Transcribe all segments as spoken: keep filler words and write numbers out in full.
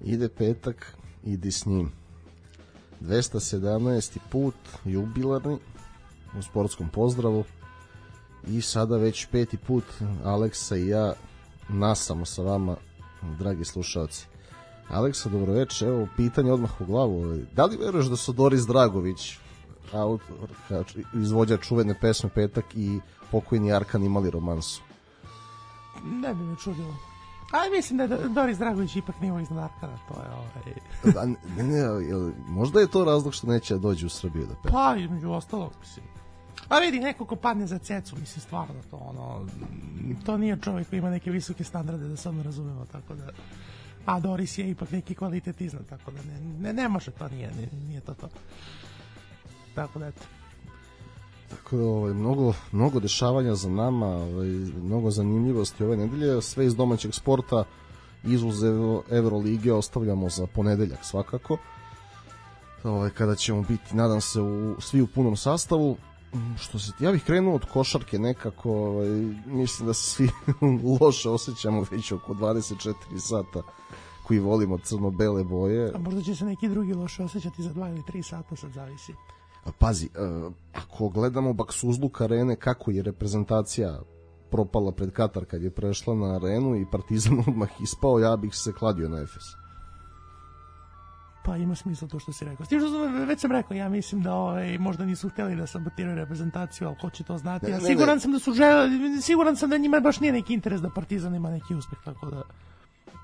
Ide petak, idi s njim. dvesta sedamnaesti put, jubilarni, u sportskom pozdravu. I sada već peti put Aleksa i ja nasamo sa vama, dragi slušalci. Aleksa, dobroveče, evo pitanje odmah u glavu. Da li veruješ da su Doris Dragović, autor, izvođač čuvene pesme Petak, i pokojni Arkan imali romansu? Ne bi me čudilo. Ali mislim da je Doris Dragović ipak nivo iznad Arkana, to je ovaj... Da, ne, ne, jel, možda je to razlog što neće da dođe u Srbiju da peva? Pa, između ostalog, mislim. A vidi, neko ko padne za cecu, mislim, stvarno to, ono, to nije čovjek koji ima neke visoke standarde, da se ono razumemo, tako da... A Doris je ipak neki kvalitet iznad, tako da ne, ne, ne može to, nije, nije to to. Tako da, eto. Tako da, ovaj, mnogo, mnogo dešavanja za nama, ovaj, mnogo zanimljivosti ove nedelje, sve iz domaćeg sporta, izuzev Evrolige ostavljamo za ponedeljak svakako, ovaj, kada ćemo biti, nadam se, u, svi u punom sastavu. Što se, ja bih krenuo od košarke nekako, ovaj, mislim da se svi loše osjećamo već oko dvadeset četiri sata koji volimo crno-bele boje. A možda će se neki drugi loše osjećati za dva ili tri sata, sad zavisi. Pazi, ako gledamo Baksuzluk arene, kako je reprezentacija propala pred Katar kad je prešla na arenu i Partizan odmah ispao, ja bih se kladio na Efes. Pa ima smisla to što si rekao. Stižu, već sam rekao, ja mislim da ovaj, možda nisu htjeli da sabotiraju reprezentaciju, ali ko će to znati? Ne, ja siguran ne, sam da su želi, siguran sam da njima baš nije neki interes da Partizan ima neki uspeh, tako da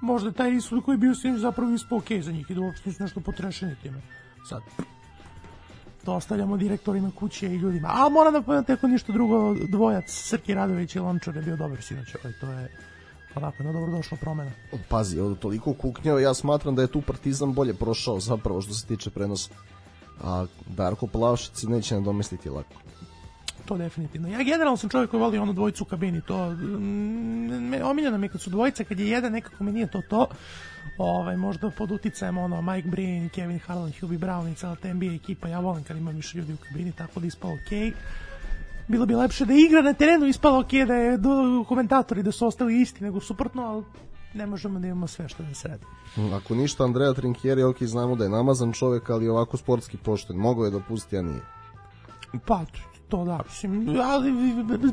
možda taj ishod koji je bio sinoć zapravo ispao okej za njih i da uopšte nisu nešto potrešeni time. Sad, to ostavljamo direktorima kuće i ljudima. A moram da povedati ako ništa drugo, dvojac Srki Radović i Lončar je bio dobar sinoć, ovaj, to je onako jedna dobrodošla promena. Pazi, ovdje toliko kuknjao, ja smatram da je tu Partizan bolje prošao zapravo što se tiče prenosa. A Darko Plavšić neće nadomestiti lako. To definitivno. Ja generalno sam čovjek koji voli onu dvojicu u kabini. To, mm, omiljeno mi kad su dvojica, kad je jedan nekako mi nije to to. Ovaj, možda pod uticajem ono, Mike Breen, Kevin Harlan, Hubie Brown i cela ta N B A ekipa. Ja volim kad ima više ljudi u kabini, tako da ispalo okej. Okay. Bilo bi lepše da igra na terenu, ispalo okej, okay, da je do, komentatori da su ostali isti nego suprotno, ali ne možemo da imamo sve što da se radi. Ako ništa, Andrea Trinkieri, ok, znamo da je namazan čovjek, ali ovako sportski pošten. Mogao je da pusti, a nije. Pa, to da, mislim, ali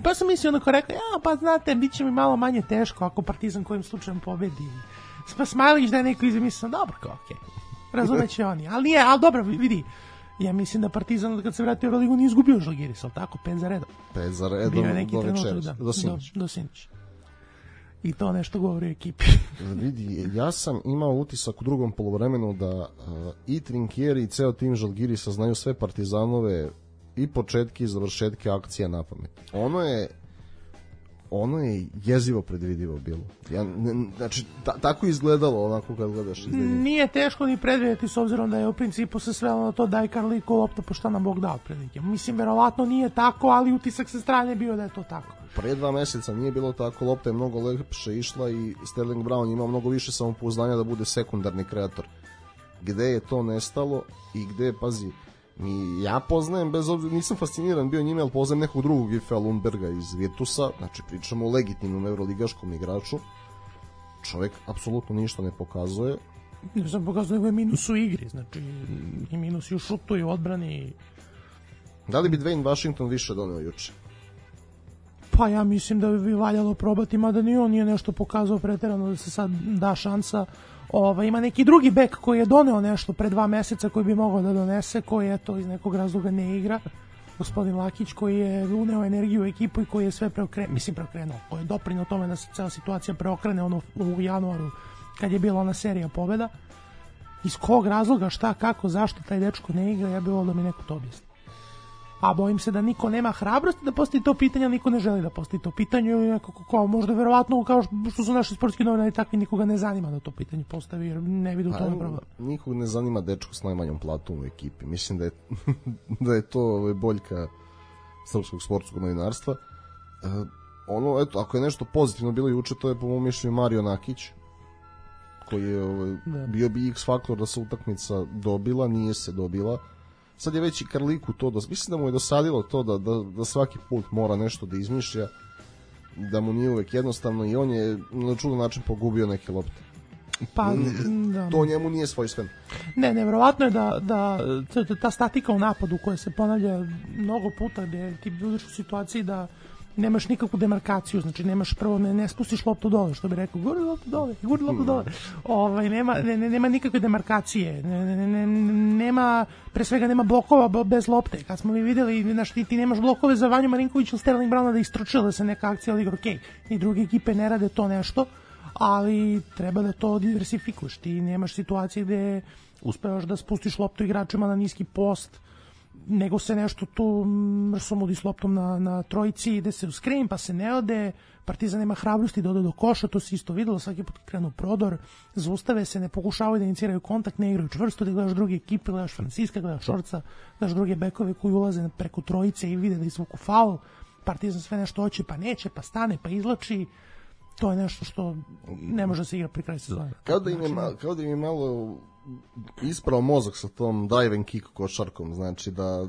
pa sam mislio onako rekao, ja, pa znate, bit će mi malo manje teško ako Partizan kojim slučajem pobedi. Pa Smajlić da je neko izmislio, dobro, kao, okej, okay. Razumeće oni, ali nije, ali dobro, vidi, ja mislim da Partizan kad se vratio u Euroligu nije izgubio Žalgiris, ali tako, pet za redom. Pet za redom, do večeras, da, do sinoć. Do, do sinoć. I to nešto govori o ekipi. Vidi, ja sam imao utisak u drugom poluvremenu da uh, i Trinkieri i ceo tim Žalgirisa znaju sve Partizanove i početke i završetke akcija na pamet. Ono je ono je jezivo predvidivo bilo. Ja, ne, znači, ta, tako izgledalo onako kad gledaš izgledanje. Nije teško ni predvidjeti s obzirom da je u principu se svelo na to daj Karliku lopta po šta nam Bog dao prilike. Mislim, verovatno nije tako, ali utisak sa strane bio da je to tako. Pre dva meseca nije bilo tako, lopta je mnogo lepše išla i Sterling Brown imao mnogo više samopouzdanja da bude sekundarni kreator. Gde je to nestalo i gde je, pazi, mi, ja poznajem, bez obzira, nisam fasciniran bio njime, ali poznajem nekog drugog Ife Lundberga iz Virtusa, znači pričamo o legitimnom evroligaškom igraču. Čovjek apsolutno ništa ne pokazuje. Ne sam pokazuje nego je minus u igri, znači i minus i u šutu i u odbrani. Da li bi Dwayne Washington više doneo juče? Pa ja mislim da bi valjalo probati, mada ni on nije nešto pokazao preterano da se sad da šansa. Ova, ima neki drugi bek koji je doneo nešto pre dva meseca koji bi mogao da donese, koji je to iz nekog razloga ne igra, gospodin Lakić, koji je uneo energiju u ekipu i koji je sve preokrenuo, mislim preokrenuo, koji je doprinio tome da se cela situacija preokrene ono u januaru kad je bila ona serija pobjeda. Iz kog razloga, šta, kako, zašto taj dečko ne igra, ja bih volio da mi neko to objasni. A bojim se da niko nema hrabrosti da postavi to pitanje, ali niko ne želi da postavi to pitanje, ili nekako kao možda verovatno kao što su naši sportski novinari takvi, nikoga ne zanima da to pitanje postavi jer ne vidi u tome problem. Nikog ne zanima dečko s najmanjom platom u ekipi. Mislim da je, da je to boljka srpskog sportskog novinarstva. E, ono, eto, ako je nešto pozitivno bilo juče, to je po mom mišljenju Mario Nakić, koji je ovaj, bio bi X faktor da se utakmica dobila, nije se dobila. Sad je već i Karliku to, dos... mislim da mu je dosadilo to da, da, da svaki put mora nešto da izmišlja, da mu nije uvek jednostavno i on je na čudan način pogubio neke lopte. Pa, da. To njemu nije svojstveno. Ne, nevjerovatno je da, da ta statika u napadu koja se ponavlja mnogo puta, gde ti budeš u situaciji da nemaš nikakvu demarkaciju, znači nemaš prvo, ne, ne spustiš loptu dole, što bi rekao, guri loptu dole, guri loptu dole. Ovaj, nema, ne, nema nikakve demarkacije, ne, ne, ne, nema, pre svega nema blokova bez lopte. Kad smo mi videli, znaš, ti, ti nemaš blokove za Vanju Marinkovića ili Sterling Browna da istručila da se neka akcija odigra, okej, ni druge ekipe ne rade to nešto, ali treba da to diversifikuješ. Ti nemaš situacije gde uspevaš da spustiš loptu igračima na niski post, nego se nešto tu mrsomudi s loptom na, na trojici, ide se u skrin, pa se ne ode, Partizan nema hrabrosti da ode do koša, to se isto videlo, svaki put krenu prodor, zaustave se, ne pokušavaju da iniciraju kontakt, ne igraju čvrsto, da gledaš druge ekipe, gledaš Franciska, gledaš Šorca, gledaš druge bekove koji ulaze preko trojice i vide da izvuku faul, Partizan sve nešto hoće, pa neće, pa stane, pa izlači, to je nešto što ne može da se igra pri kraju sezone. Kao da im je, malo, kao da im je malo isprao mozak sa tom dive and kick košarkom, znači da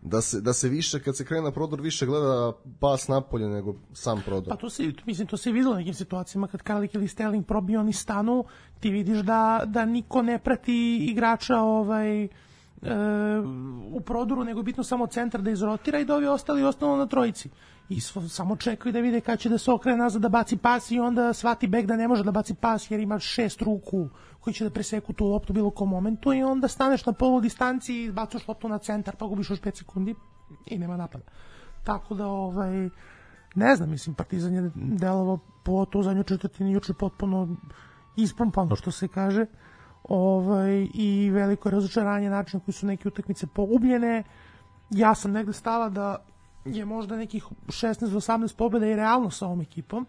da se, da se više, kad se krene na prodor, više gleda pas napolje nego sam prodor. Pa to se, mislim, to se videlo u nekim situacijama, kad Karlik ili Sterling probiju, oni stanu, ti vidiš da, da niko ne prati igrača ovaj, e, u prodoru, nego je bitno samo centar da izrotira i da ovi ostali ostanu na trojici. I samo čekaju da vide kada će da se okrene nazad da baci pas i onda shvati bek da ne može da baci pas jer ima šest ruku koji će da preseku tu loptu bilo kom momentu i onda staneš na polu distanci i bacaš loptu na centar pa gubiš još pet sekundi i nema napada. Tako da, ovaj, ne znam, mislim, Partizan je delovao po to u zadnjoj četvrtini juče potpuno ispumpano, što se kaže, ovaj, i veliko razočaranje načina koji su neke utakmice pogubljene. Ja sam negde stala da je možda nekih šesnaest do osamnaest pobjeda i realno sa ovom ekipom.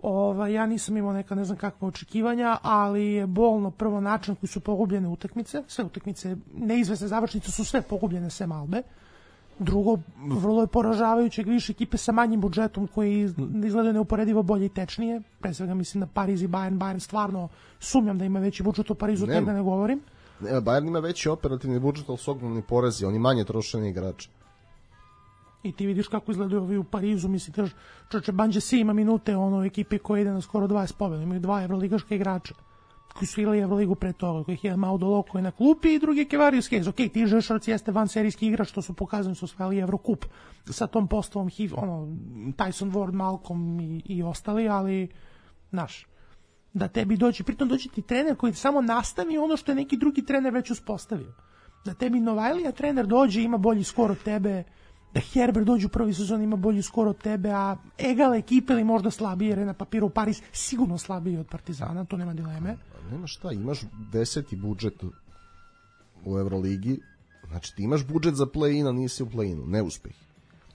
Ova, ja nisam imao neka ne znam kakva očekivanja, ali je bolno prvo način koji su pogubljene utakmice. Sve utakmice, neizvesne završnice su sve pogubljene sem Albe. Drugo, vrlo je poražavajuće više ekipe sa manjim budžetom koji izgledaju neuporedivo bolje i tečnije. Pre svega mislim na Pariz i Bayern. Bayern stvarno sumnjam da ima veći budžet u Parizu, tek da ne govorim. Ne, Bayern ima veći operativni budžet, ali su ogromni porezi, oni manje trošeni igrači. I ti vidiš kako izgledaju ovi u Parizu, mislite, čoče, Banje si ima minute ono u ekipi koja ide na skoro dvadeset pobjeda, imaju dva evroligaška igrača koji su igrali Evroligu pre toga, kojih je Maudolo koji je na klupi i drugi je Kevarius Hayes. Ok, ti Žešovac jeste van serijski igrač, što su pokazani, su osvajali Evrokup sa tom postavom, ono, Tyson Ward, Malcolm i, i ostali, ali, znaš, da tebi dođe, pritom dođe ti trener koji samo nastavi ono što je neki drugi trener već uspostavio. Da tebi Novajlija trener dođe, ima bolji skor od tebe, da Herbert dođe u prvi sezon, ima bolji skor od tebe, a egal ekipe ili možda slabije, jer je na papiru Paris sigurno slabiji od Partizana, to nema dileme. Nema šta, imaš deseti budžet u Evroligi, znači ti imaš budžet za play-in, a nisi u play-inu, neuspeh.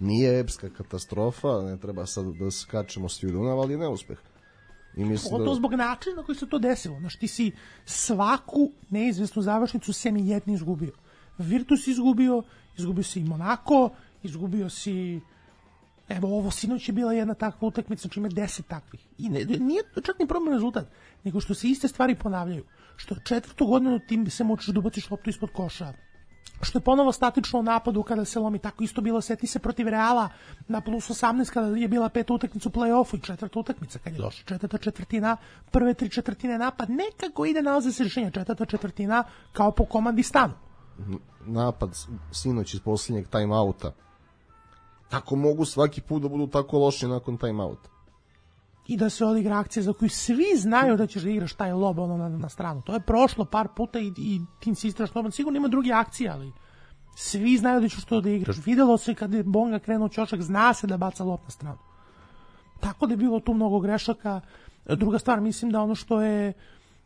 Nije epska katastrofa, ne treba sad da skačemo s Judunav, ali je neuspeh. I mislim da... to zbog načina na koji se to desilo, znači ti si svaku neizvesnu završnicu sem i jedni izgubio. Virtus izgubio, izgubio si i Monako, izgubio si, evo ovo sinoć je bila jedna takva utakmica, znači ima deset takvih. I ne, nije čak ni problem rezultat, nego što se iste stvari ponavljaju. Što četvrtu godinu tim se moćeš da ubaciš loptu ispod koša. Što je ponovo statično u napadu kada se lomi, tako isto bilo, seti se protiv Reala na plus osamnaest kada je bila peta utakmica u play-offu i četvrta utakmica kad je došla četvrta četvrtina, prve tri četvrtine napad, nekako ide nalaze se rješenja, četvrta četvrtina kao po komandi stanu. Napad sinoć iz posljednjeg time-outa. Kako mogu svaki put da budu tako loši nakon time-outa? I da se odigra akcija za koju svi znaju da ćeš da igraš taj lob ono na, na stranu. To je prošlo par puta i, i ti insistiraš lob. Sigurno ima druge akcije, ali svi znaju da ćeš to da igraš. Videlo se kad je Bonga krenuo ćošak, zna se da baca lob na stranu. Tako da je bilo tu mnogo grešaka. Druga stvar, mislim da ono što je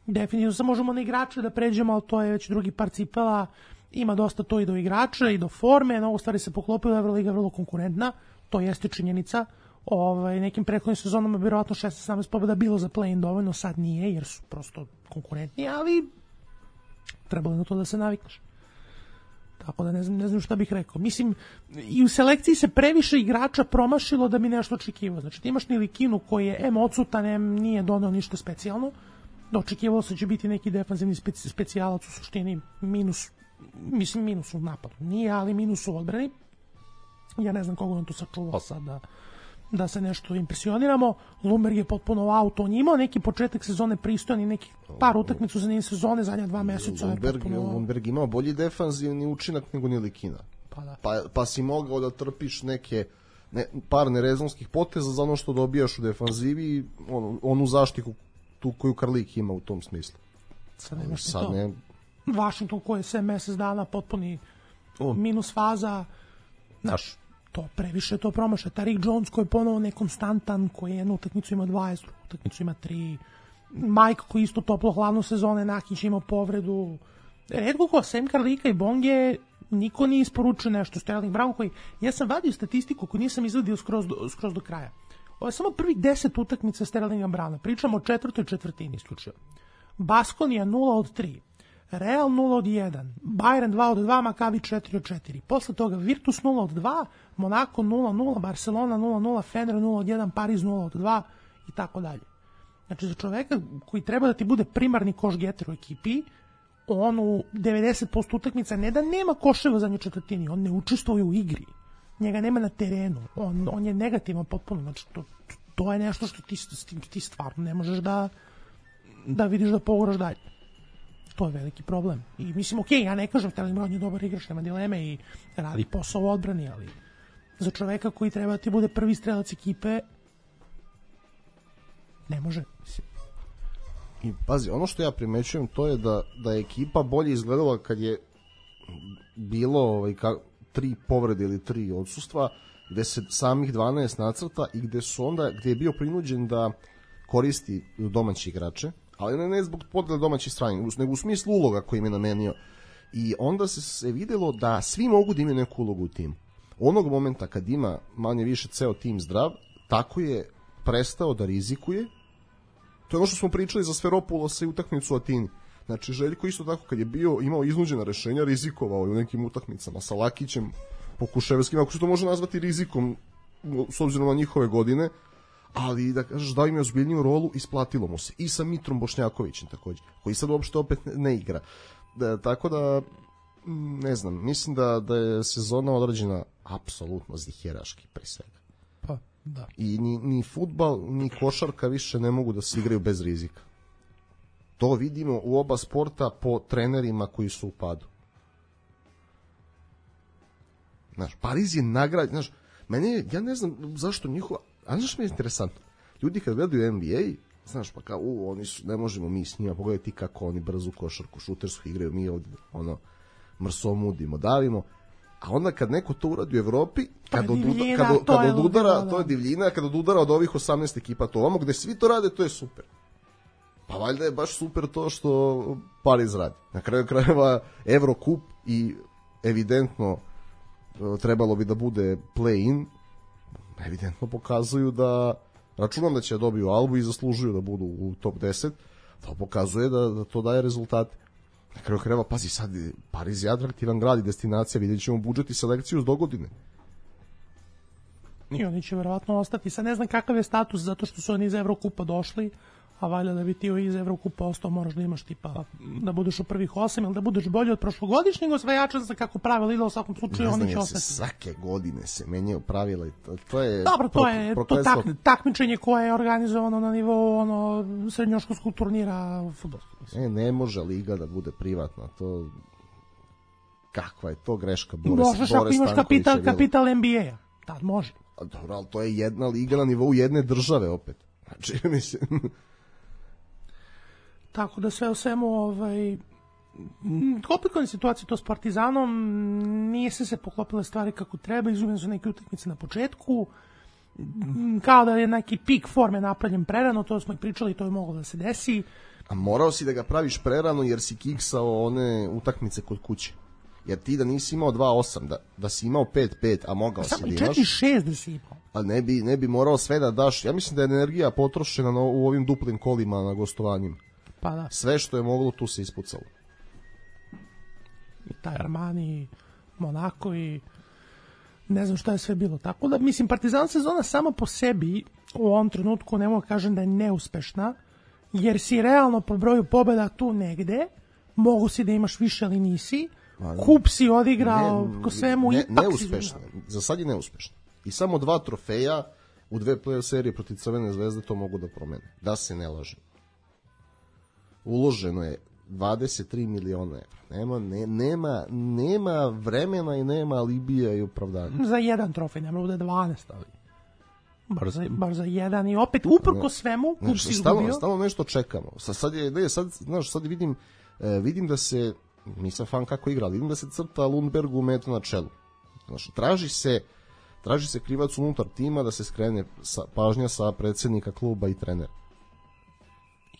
definitivno, sad možemo na igrače da pređemo, ali to je već drugi par cipela. Ima dosta to i do igrača i do forme, mnogo stvari se poklopilo, Evroliga je vrlo konkurentna, to jeste činjenica. Ovaj, nekim prethodnim sezonama vjerojatno šesnaest sedamnaest pobjeda bilo za play-in dovoljno, sad nije jer su prosto konkurentni, ali trebalo je na to da se navikneš. Tako da ne znam, ne znam šta bih rekao. Mislim, i u selekciji se previše igrača promašilo da bi nešto očekivao. Znači ti imaš Nilikinu koji je em odsutan, em nije doneo ništa specijalno. Očekivalo se će biti neki defanzivni speci, specijalac u suštini, minus, mislim minus u napadu. Nije, ali minus u odbrani. Ja ne znam koga on tu sačuvao sad da, da se nešto impresioniramo. Lumberg je potpuno out, on je imao neki početak sezone pristojan i neki par utakmica za njim sezone, zadnja dva meseca. Lumberg, potpuno... Lumberg imao bolji defanzivni učinak nego Nilikina. Pa, da. pa, pa si mogao da trpiš neke ne, par nerezonskih poteza za ono što dobijaš u defanzivi, on, onu zaštitu tu koju Karlik ima u tom smislu. Sad nemaš sad to. Ne... Washington koji je sve mesec dana potpuni o. minus faza, znaš, to previše to promaša. Tariq Jones koji je ponovo nekonstantan, koji je jednu utakmicu ima dvadeset, drugu utakmicu ima tri. Mike koji isto toplo hladno sezone, Nakić ima povredu. Redko ko, sem Karlika i Bonge, niko nije isporučio nešto. Sterling Brown koji, ja sam vadio statistiku koju nisam izvadio skroz do, skroz do kraja. Ovo je samo prvih deset utakmica Sterlinga Browna. Pričamo o četvrtoj četvrtini isključivo. Baskonija nula od tri. Real nula od jedan, Bayern dva od dva, Maccabi četiri od četiri. Posle toga Virtus nula od dva, Monaco nula nula, Barcelona nula nula, Fener nula od jedan, Pariz nula od dva i tako dalje. Znači za čoveka koji treba da ti bude primarni koš-geter u ekipi, on u devedeset posto utakmica ne da nema koševa za nje četvrtini, on ne učestvuje u igri. Njega nema na terenu. On, on je negativan potpuno. Znači to, to je nešto što ti, ti stvarno ne možeš da, da vidiš da poguraš dalje. To je veliki problem. I mislim, okej, okay, ja ne kažem, Sterling Brown je dobar igrač, nema dileme i radi posao u odbrani, ali za čoveka koji treba ti bude prvi strelac ekipe, ne može. I pazi, ono što ja primećujem to je da, da je ekipa bolje izgledala kad je bilo ovaj, ka, tri povrede ili tri odsustva, gde se samih dvanaest nacrta i gde su onda, gde je bio prinuđen da koristi domaći igrače, ali ne, ne zbog podele domaćih strane, nego u smislu uloga koji im je namenio. I onda se, se videlo da svi mogu da imaju neku ulogu u timu. Onog momenta kad ima manje više ceo tim zdrav, tako je prestao da rizikuje. To je ono što smo pričali za Sferopulosa i utakmicu u Atini. Znači Željko isto tako kad je bio imao iznuđena rešenja, rizikovao je u nekim utakmicama sa Lakićem, Pokuševskim, ako se to može nazvati rizikom s obzirom na njihove godine, ali da kažeš da im je ozbiljniju rolu, isplatilo mu se. I sa Mitrom Bošnjakovićem takođe, koji sad uopšte opet ne igra. Da, tako da, ne znam, mislim da, da je sezona određena apsolutno ziheraški pre svega. Pa, da. I ni, ni fudbal, ni košarka više ne mogu da se igraju bez rizika. To vidimo u oba sporta po trenerima koji su u padu. Znaš, Pariz je nagrad, znaš, meni je, ja ne znam zašto njihova, a znaš mi je interesantno, ljudi kad gledaju N B A, znaš, pa kao, u, oni su, ne možemo mi s njima, pogledaj ti kako oni brzu košarku, šutersku igraju, mi ovdje, ono, mrsomudimo, davimo, a onda kad neko to uradi u Evropi, kad, od, divljina, kad, kad od udara, to je divljina, kad od udara od ovih osamnaest ekipa, to ovamo, gde svi to rade, to je super. Pa valjda je baš super to što Pariz radi. Na kraju krajeva Evrokup i evidentno trebalo bi da bude play-in, evidentno pokazuju da, računam da će dobiju Albu i zaslužuju da budu u top deset, to pokazuje da, da to daje rezultate. Na kraju krajeva, pazi, sad Pariz je atraktivan grad i destinacija, vidjet ćemo budžet i selekciju do godine. I oni će verovatno ostati. Sad ne znam kakav je status, zato što su oni iz Evrokupa došli, a valjda da bi ti iz Evrokupa ostao moraš da imaš tipa da budeš u prvih osam ili da budeš bolji od prošlogodišnjeg osvajača, za kako pravila ide u svakom slučaju oni će ostati. Svake godine se menjaju pravila i to, to je dobro, to je to tak, takmičenje koje je organizovano na nivou ono srednjoškolskog turnira fudbalskog. Ne, ne može liga da bude privatna, to kakva je to greška Boris. Možeš ako imaš kapital, kapital N B A-a, tad može. A dobro, ali to je jedna liga na nivou jedne države opet. Znači, mislim... Tako da sve u svemu, ovaj, komplikovane situacije to s Partizanom, nije se se poklopile stvari kako treba, izgubljene su neke utakmice na početku, kao da je neki pik forme napravljen prerano, to smo i pričali, to je moglo da se desi. A morao si da ga praviš prerano jer si kiksao one utakmice kod kuće. Jer ti da nisi imao dva osam, da, da si imao pet pet, a mogao a si da imaš... četiri šest da si imao. A ne bi, ne bi morao sve da daš. Ja mislim da je energija potrošena na, u ovim duplim kolima na gostovanjima. Pa da. Sve što je moglo tu se ispucalo. I taj Armani, i Monaco i ne znam šta je sve bilo. Tako da, mislim, Partizan sezona sama po sebi u ovom trenutku ne mogu kažem da je neuspešna, jer si realno po broju pobjeda tu negde, mogu si da imaš više ali nisi, kup si odigrao ne, ko svemu ne, ipak neuspešna. Za sad je neuspešna. I samo dva trofeja, u dve play-off serije protiv Crvene zvezde to mogu da promene. Da se ne lažem. Uloženo je dvadeset tri miliona evra. Nema, ne, nema, nema vremena i nema alibija i opravdanja. Za jedan trofej, ne mogu da je dvanaest, ali bar za, bar za jedan i opet uprko svemu klub si izgubio. Stalno nešto čekamo. Sad, sad, je, ne, sad, znaš, sad vidim, eh, vidim da se, nisam fan kako igra, vidim da se crta Lundbergu meta na čelu. Znaš, traži se traži se krivac unutar tima da se skrene sa, pažnja sa predsednika kluba i trenera.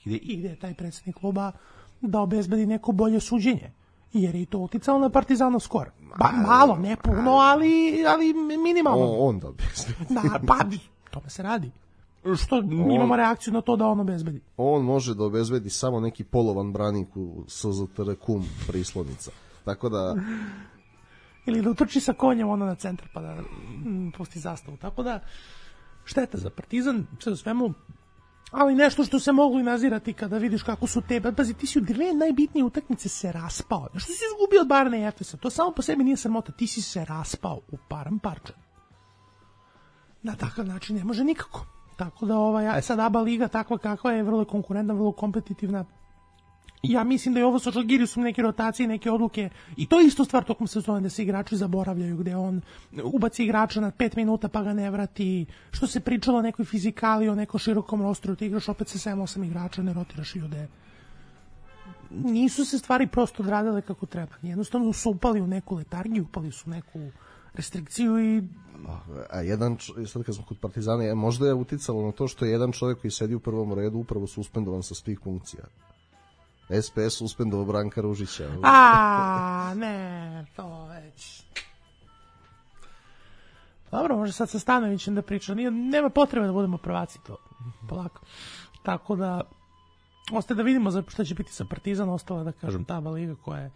I, I gde je taj predsednik kluba da obezbedi neko bolje suđenje? Jer je i to uticalo na Partizanov skor. Ba, malo, ne puno, ali, ali minimalno. On, on da obezbedi. Da, pa, tome se radi. Što on, imamo reakciju na to da on obezbedi. On može da obezbedi samo neki polovan branik u S Z T R kum prislodnica. Tako da... Ili da utrči sa konjem ono na centar pa da m, pusti zastavu. Tako da, šteta za Partizan, sve u svemu, ali nešto što se moglo i nazirati kada vidiš kako su tebe. Pazi, ti si u dve najbitnije utakmice se raspao. Što si izgubio od Bayerna i Efesa? To samo po sebi nije sramota. Ti si se raspao u param parčan. Na takav način ne može nikako. Tako da ovaj, sad A B A liga takva kakva je, vrlo konkurentna, vrlo kompetitivna. Ja mislim da je ovo sa Žalgirisom neke rotacije, neke odluke, i to je isto stvar tokom sezone da se igrači zaboravljaju, gde on ubaci igrača na pet minuta pa ga ne vrati, što se pričalo o nekoj fizikali, o nekom širokom rosteru, ti igraš opet sa sedam osam igrača, ne rotiraš ljude. Nisu se stvari prosto odradile kako treba, jednostavno su upali u neku letargiju, upali su u neku restrikciju i... A jedan, sad kad smo kod Partizana, možda je uticalo na to što je jedan čovjek koji sedi u prvom redu upravo suspendovan sa svih funkcija. S P S suspendovao Branka Ružića. A, ne, to već. Dobro, može sad sa Stanovićem da priča. Nije, nema potrebe da budemo prvaci, to polako. Tako da, ostaje da vidimo za šta će biti sa Partizan, ostala da kažem ta liga koja je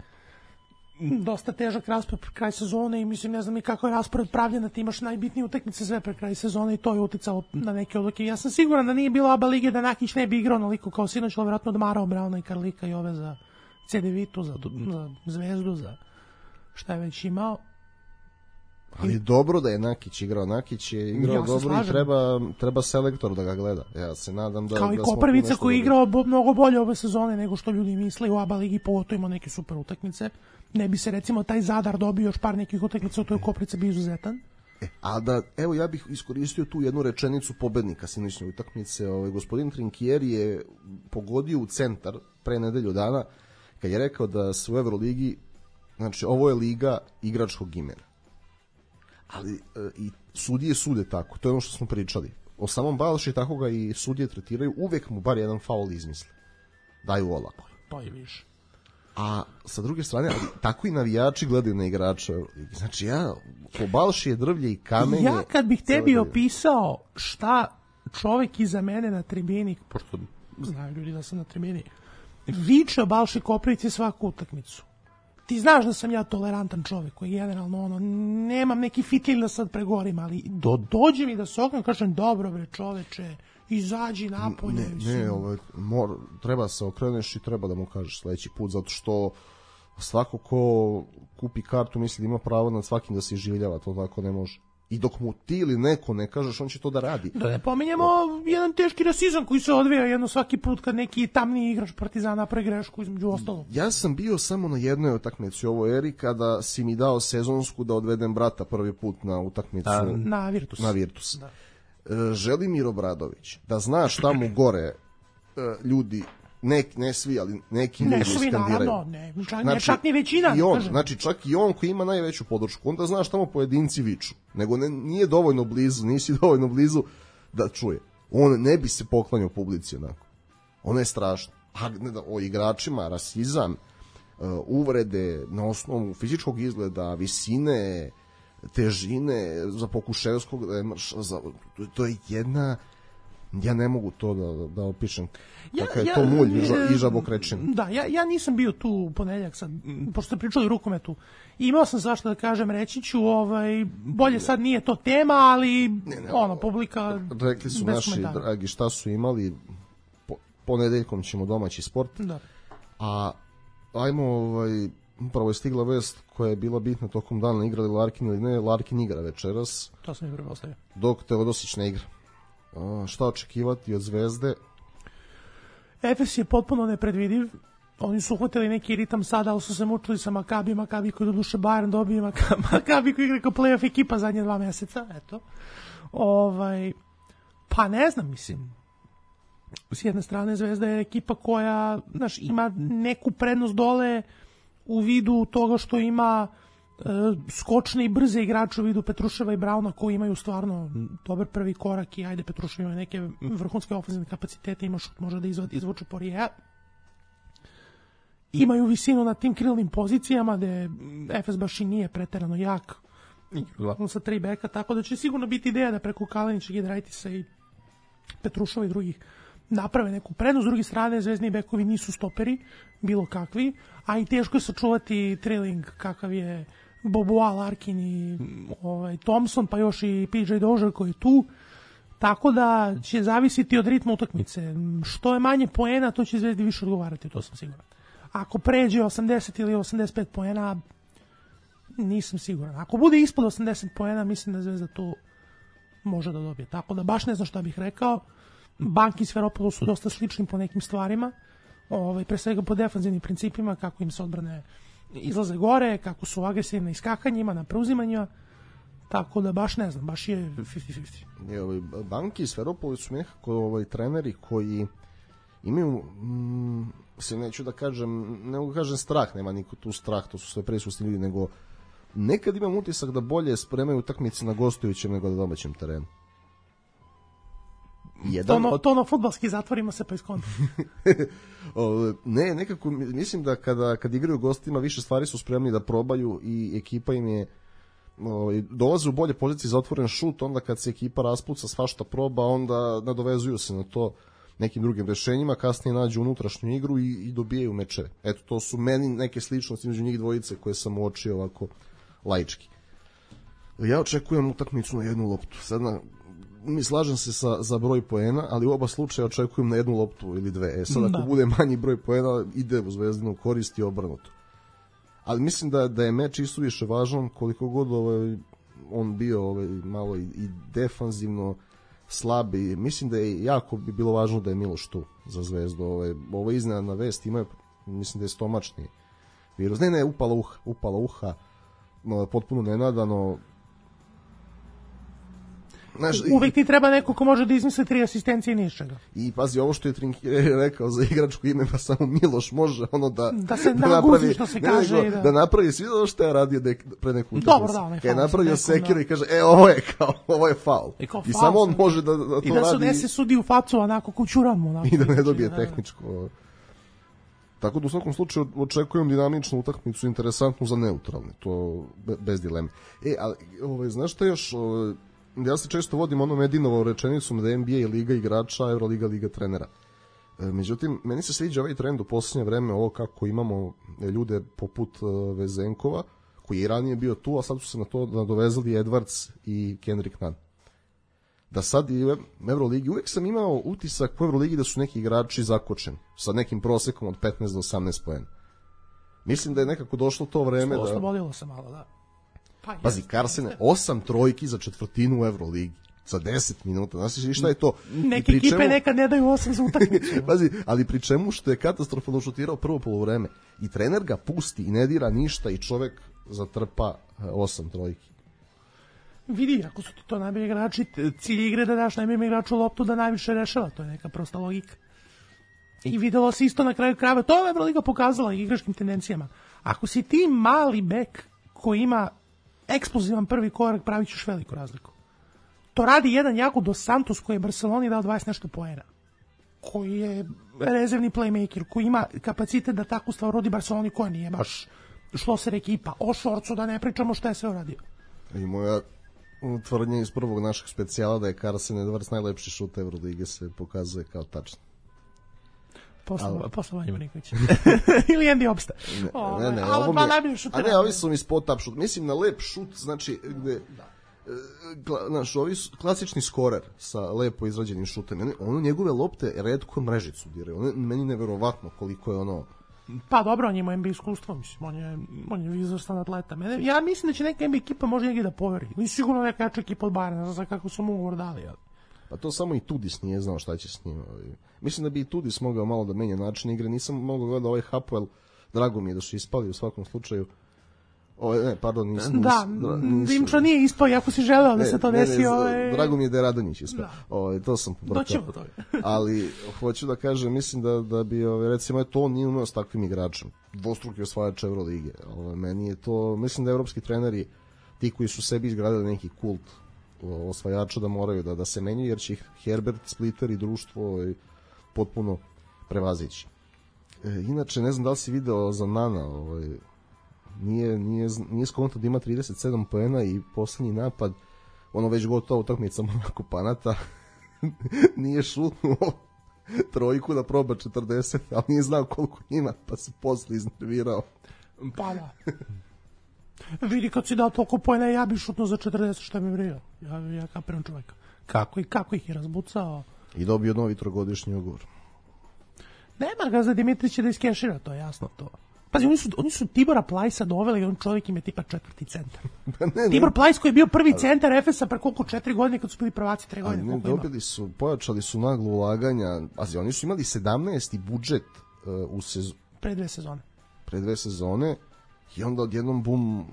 dosta težak raspored pre kraj sezone i mislim, ne znam ni kako je raspored pravljena, ti imaš najbitnije utakmice sve pre kraj sezone i to je uticalo na neke odluke. Ja sam siguran da nije bilo A B A lige da Nakić ne bi igrao onoliko kao sinoć, ali vjerojatno odmarao Brauna i Karlika i ove za C D Vitu, za, za Zvezdu, za šta je već imao. Ali dobro da je Nakić igrao. Nakić je igrao ja dobro i treba, treba selektor da ga gleda. Ja se nadam da... Kao da i Koprvica koji je igrao bo, mnogo bolje ove sezone nego što ljudi misle u A B A ligi, pogotovo ima neke super utakmice. Ne bi se recimo taj Zadar dobio još par nekih utakmica, u toj Koprica bi izuzetan. E, a da, evo ja bih iskoristio tu jednu rečenicu pobednika sinoćne utakmice. Ovaj, gospodin Trinkieri je pogodio u centar pre nedelju dana kad je rekao da se u Euroligi, znači ovo je liga igračkog imena. Ali e, i sudije sude tako, to je ono što smo pričali. O samom Balši tako ga i sudije tretiraju, uvek mu bar jedan faul izmisle. Daju olako. To je više. A sa druge strane, ali tako i navijači gledaju na igrača. Znači ja, po Balši je drvlje i kamenje. Ja kad bih tebi opisao šta čovek iza mene na tribini, pošto znaju ljudi da sam na tribini, viče o Balši Koprivici svaku utakmicu. Ti znaš da sam ja tolerantan čovek koji generalno ono, nemam neki fitilj da sad pregovorim, ali do, dođe mi da se oknem, kažem dobro bre čoveče, izađi napolje. Ne, ne, ovaj, mor, treba se okreneš i treba da mu kažeš sledeći put, zato što svako ko kupi kartu misli da ima pravo nad svakim da se iživljava, to tako ne može. I dok mu ti ili neko ne kažeš, on će to da radi. Da ne pominjemo o... jedan teški rasizam koji se odvija jedno svaki put kad neki tamniji igrač Partizana pre grešku između ostalog. Ja sam bio samo na jednoj utakmici u ovoj eri kada si mi dao sezonsku da odvedem brata prvi put na utakmicu. A, na Virtus. Na Virtus. Da. E, Želimir Obradović, da znaš šta mu gore e, ljudi, ne, ne svi, ali neki ne ljudi svi, skandiraju. Naravno, ne, čak, znači, ne čak ni većina. I on, znači čak i on koji ima najveću podršku, onda znaš tamo pojedinci viču. Nego ne, nije dovoljno blizu, nisi dovoljno blizu da čuje. On ne bi se poklanjao publici onako. Ono je strašno. A ne da, o igračima, rasizam, uh, uvrede na osnovu fizičkog izgleda, visine, težine, za Pokuševskog, za, to je jedna... Ja ne mogu to da, da opišem. Ja, Kaka je ja, to mulj i žabokrečin. Da, ja, ja nisam bio tu u ponedeljak sad, pošto ste pričali o rukometu. Imao sam svašta da kažem, reći ću, ovaj, bolje sad nije to tema, ali ne, ne, ono, publika... Rekli su naši komentara. Dragi šta su imali, po, ponedeljkom ćemo domaći sport. Da. A ajmo, ovaj, upravo je stigla vest koja je bila bitna tokom dana, igrali Larkin ili ne, Larkin igra večeras. To sam i prepostavio. Dok Teodosić ne igra. šta očekivati od Zvezde? Efes je potpuno nepredvidiv. Oni su uhvatili neki ritam sada, ali su se mučili sa Makabi, Makabi koji do duše Bayern dobije, Makabi koji igra kao play-off ekipa zadnje dva meseca, eto. Ovaj, pa ne znam, mislim. S jedne strane Zvezda je ekipa koja, znaš, ima neku prednost dole u vidu toga što ima e, skočne i brze igrače u vidu Petruševa i Brauna koji imaju stvarno dobar prvi korak i ajde Petrušev ima neke vrhunske ofenzivne kapacitete, ima šut, može da izvodi, izvuče Poirier. Imaju visinu na tim krilnim pozicijama gde Efes baš i nije preterano jak. Uglavnom sa tri beka, tako da će sigurno biti ideja da preko Kalinića, Giedraitisa i Petruševa i drugih naprave neku prednost. S druge strane, zvezdni bekovi nisu stoperi, bilo kakvi, a i teško je sačuvati trailing kakav je Boboa, Larkin i ovaj, Thompson, pa još i P J Dozier koji je tu. Tako da će zavisiti od ritma utakmice. Što je manje poena, to će Zvezdi više odgovarati, to sam siguran. Ako pređe osamdeset ili osamdeset pet poena, nisam siguran. Ako bude ispod osamdeset poena, mislim da Zvezda tu može da dobije. Tako da baš ne znam šta bih rekao. Banki i Sferopoulos su dosta slični po nekim stvarima, ovaj, pre svega po defanzivnim principima, kako im se odbrane izlaze gore, kako su agresivni na iskakanjima, na preuzimanjima, tako da baš ne znam, baš je pedeset pedeset. Je, ovaj, Banki i Sferopoulos su nekako ovaj, treneri koji imaju, mm, se neću da kažem, ne mogu kažem strah, nema niko tu strah, to su sve prisutni ljudi, nego nekad imam utisak da bolje spremaju utakmice na gostujućem nego na domaćem terenu. Jedan to, no, od... to na fudbalski zatvorima se pa iskonta. Ne, nekako mislim da kada, kad igraju gostima više stvari su spremni da probaju i ekipa im je o, dolaze u bolje pozicije za otvoren šut, onda kad se ekipa raspuca svašta proba, onda nadovezuju se na to nekim drugim rešenjima, kasnije nađu unutrašnju igru i, i dobijaju mečeve. Eto, to su meni neke sličnosti među njih dvojice koje sam uočio ovako laički. Ja očekujem utakmicu na jednu loptu. Sad na mi slažem se sa, za broj poena, ali u oba slučaja očekujem na jednu loptu ili dve. E sad, da. Ako bude manji broj poena, ide u Zvezdinu korist i obrnuto. Ali mislim da, da je meč isto više važan, koliko god ovaj, on bio ovaj, malo i, i defanzivno slab. I mislim da je jako bi bilo važno da je Miloš tu za Zvezdu. Ovaj, ovo iznenadna vest, ima, mislim da je stomačni virus. Ne, ne, upala uha, upala uha, no, potpuno nenadano. Znaš, uvek ti treba neko ko može da izmisli tri asistencije i ničega. I pazi, ovo što je Trinkieri rekao za igračko ime, pa samo Miloš može ono da da se da naguzi, što se kaže, nego, da. da napravi sve ono što je radio de, pre neku utakmicu. Dobro, da, je napravio sekiru da. I kaže, e, ovo je kao, ovo je faul. I, I samo on može da, da to radi. I da se ne se sudi u facu onako kućuramo. Onako, i da ne dobije da, tehničko. Tako da u svakom slučaju očekujem dinamičnu utakmicu, interesantnu za neutralne, to bez dileme. E, ali, ovaj, znaš šta još... Ovaj, ja se često vodim onom Edinovom rečenicom da je N B A liga igrača, Euroliga liga trenera. E, međutim, meni se sviđa ovaj trend u posljednje vreme, ovo kako imamo ljude poput uh, Vezenkova, koji je i ranije bio tu, a sad su se na to nadovezali Edwards i Kendrick Nunn. Da sad i u Euroligi, uvek sam imao utisak u Euroligi da su neki igrači zakočeni, sa nekim prosekom od petnaest do osamnaest poena. Mislim da je nekako došlo to vreme da... Oslobodilo se malo, da. Pa, pazi, Karsene, osam trojki za četvrtinu u Euroligi, za deset minuta, znaš šta je to? Neke ekipe čemu... nekad ne daju osam za utakmicu. Pazi, ali pri čemu što je katastrofalno šutirao prvo poluvreme i trener ga pusti i ne dira ništa i čovek zatrpa osam trojki. Vidi, ako su ti to najbolji igrači, cilj igre da daš najboljem igraču loptu da najviše rešava, to je neka prosta logika. I videlo se isto na kraju krajeva, to je Euroliga pokazala igračkim tendencijama. Ako si ti mali bek koji ima eksplozivan prvi korak, pravit ćeš veliku razliku. To radi jedan Jago dos Santos koji je Barceloni dao dvadeset nešto poena, koji je rezervni playmaker, koji ima kapacitet da takvu stvar rodi Barceloni koja nije baš šloser ekipa. O Šorcu da ne pričamo šta je sve uradio. I moja tvrdnja iz prvog našeg specijala da je Carson Edwards najlepši šut Evrolige se pokazuje kao tačno. Posle, posle Vanja Marinkovića. Ili Andy Obsta. Ne, ne, ne, ali ovo dva mi je, najbolji šutera. a ne, ovi su mi spot-up šut. Mislim na lep šut, znači, gde, da. Znaš, ovi su klasični skorer sa lepo izrađenim šutem. Ono njegove lopte retko mrežicu diraju. Ono meni neverovatno koliko je ono... Pa dobro, on ima N B A iskustvo, mislim, on je, on je izvrstan atleta. Mene, ja mislim da će neka N B A ekipa može njegi da poveri. Ili sigurno neka jača ekipa od Bayerna, ne znam kako su mu ugovor dali, ali... Pa to samo i Tudis nije znao šta će s njim. Mislim da bi i Tudis mogao malo da menja način igre. Nisam mogao gledati ovaj Hapoel, drago mi je da su ispali u svakom slučaju. O, ne, pardon, nisam. Da, Dimča nije ispao, jako si želeo da ne, se to desi. Ne, ne, ove... Drago mi je da je Radonjić ispao. O, to sam pobrkao. Doćemo toga. Ali, hoću da kažem, mislim da, da bi, ove, recimo, to on nije umeo s takvim igračem. Dvostruki osvajač Evrolige. Ove, meni je to, mislim da evropski treneri, ti koji su sebi izgradili neki kult osvajača, da moraju da, da se menjaju, jer će ih Herbert, Splitter i društvo ove, potpuno prevazići. E, inače, ne znam da li si video za Nana, ovaj, nije, nije, nije skonto da ima trideset sedam poena i poslednji napad, ono već gotovo utakmica Monako Panata, nije šutnuo trojku da proba četrdeset, ali nije znao koliko ima, pa se posle iznervirao. Pa da. Vidi, kad si dao toliko poena, ja bi šutnuo za četrdeset, šta mi vrio. Ja, ja kapiram čoveka. Kako, i, kako ih je razbucao. I dobio novi trogodišnji ugovor. Nema ga za Dimitrića da iskešira, to je jasno to. Pazi, oni su, oni su Tibora Plajsa doveli i on čovjek im je tipa četvrti centar. ne, ne. Tibor Plajs koji je bio prvi centar Efesa pre koliko četiri godine kad su bili prvaci tre godine. Ne, dobili su, pojačali su naglo ulaganja. Pazi, oni su imali sedamnaesti budžet uh, u sezonu. Pre dve sezone. Pre dve sezone i onda odjednom bum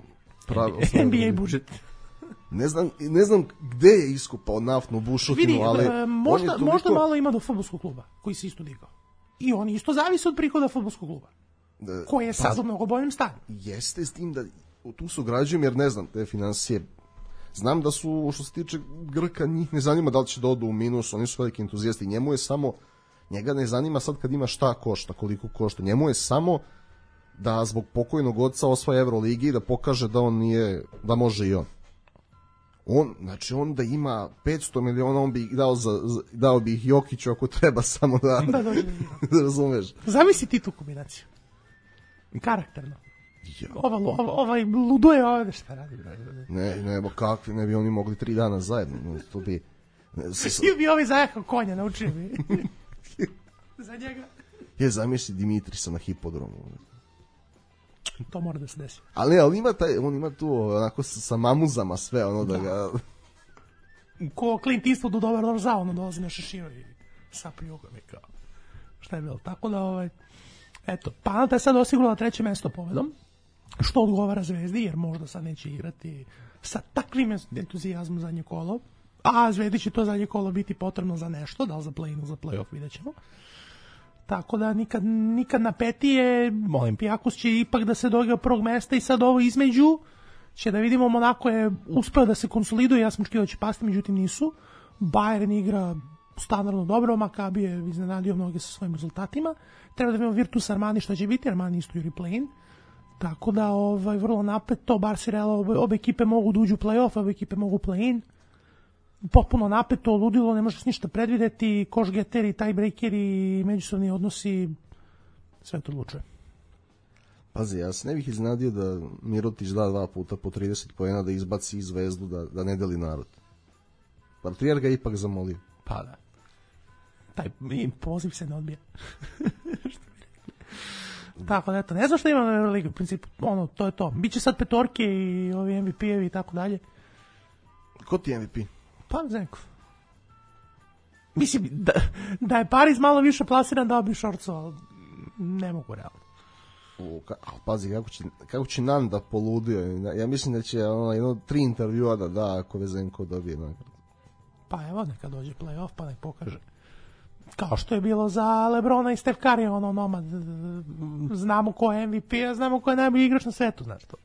pravi N B A budžet. Ne znam, ne znam gde je iskupao naftnu bušotinu, vidi, ali uh, možda, toliko... možda malo ima do fudbalskog kluba koji se isto digao. I oni isto zavise od prihoda fudbalskog kluba. Da, koji je sad pa, u mnogo boljem stanju. Jeste s tim da tu se ograđujem jer ne znam te financije. Znam da su, što se tiče Grka, njih ne zanima da li će da odu u minus, oni su veliki entuzijasti. Njemu je samo, njega ne zanima sad kad ima šta košta, koliko košta. Njemu je samo da zbog pokojnog oca osvaja Evroligi i da pokaže da on nije, da može i on. On, znači on da ima petsto miliona, on bi ih dao, za, dao bi ih Jokiću ako treba samo da, da, da, da razumeš. Zamisli ti tu kombinaciju. Karakterno. Ja. Ova, ova, ovaj luduje ovde šta radi. Ne, ne, bo kakvi, ne bi oni mogli tri dana zajedno. To bi... Ne, s... Ili bi ovaj zajahao konja, naučio bi. Za njega. Je, zamisli Dimitrisa na hipodromu. To mora da se desi. Ali ne, ali ima taj, on ima tu onako sa, sa mamuzama sve, ono da, da ga... Ko Clint Eastwood u Dobar Dobar Zao, ono dolazi na šeširo i sapi jugom i kao. Šta je bilo? Tako da, ovaj... Eto, Panata je sad osigurala treće mesto povedom, što odgovara Zvezdi, jer možda sad neće igrati sa takvim entuzijazmom zadnje kolo, a Zvezdi će to zadnje kolo biti potrebno za nešto, da li za play-in ili za play-off, vidjet ćemo. Tako da nikad, nikad napetije, Olimpijakos će ipak da se dođe prvog mesta i sad ovo između će da vidimo, Monako je uspeo da se konsoliduje, ja sam očekivao da će pasti, međutim nisu. Bayern igra standardno dobro, Makabi je iznenadio mnoge sa svojim rezultatima. Treba da vidimo Virtus Armani što će biti, Armani isto juri play-in. Tako da ovaj, vrlo napeto, Barca i Real, obe, obe ekipe mogu da uđu u play-off, obe ekipe mogu play-in. Potpuno napeto, ludilo, ne možeš ništa predvideti, koš-geteri, tiebreakeri, međusobni odnosi, sve to odlučuje. Pazi, ja se ne bih iznadio da Mirotić da dva puta po trideset poena da izbaci Zvezdu, da, da ne deli narod. Patrijar ga ipak zamolio. Pa da. Taj poziv se ne odbija. Tako da, eto, ne znam što ima na Euroligi, u principu, ono, to je to. Biće sad petorke i ovi M V P-evi i tako dalje. Ko ti je M V P? Pa, Zenko. Mislim, da, da je Paris malo više plasiran, dao bi Šorcu, ali ne mogu realno. U, ka, a, pazi, kako će, kako će Nan da poludio. Ja mislim da će ono, jedno tri intervjua da da ako Vezenko dobije nagradu. Pa evo, neka dođe play-off, pa nek pokaže. Kao što je bilo za Lebrona i Steph Curry, ono nomad. Znamo ko je M V P, a znamo ko je najbolji igrač na svetu, znaš to.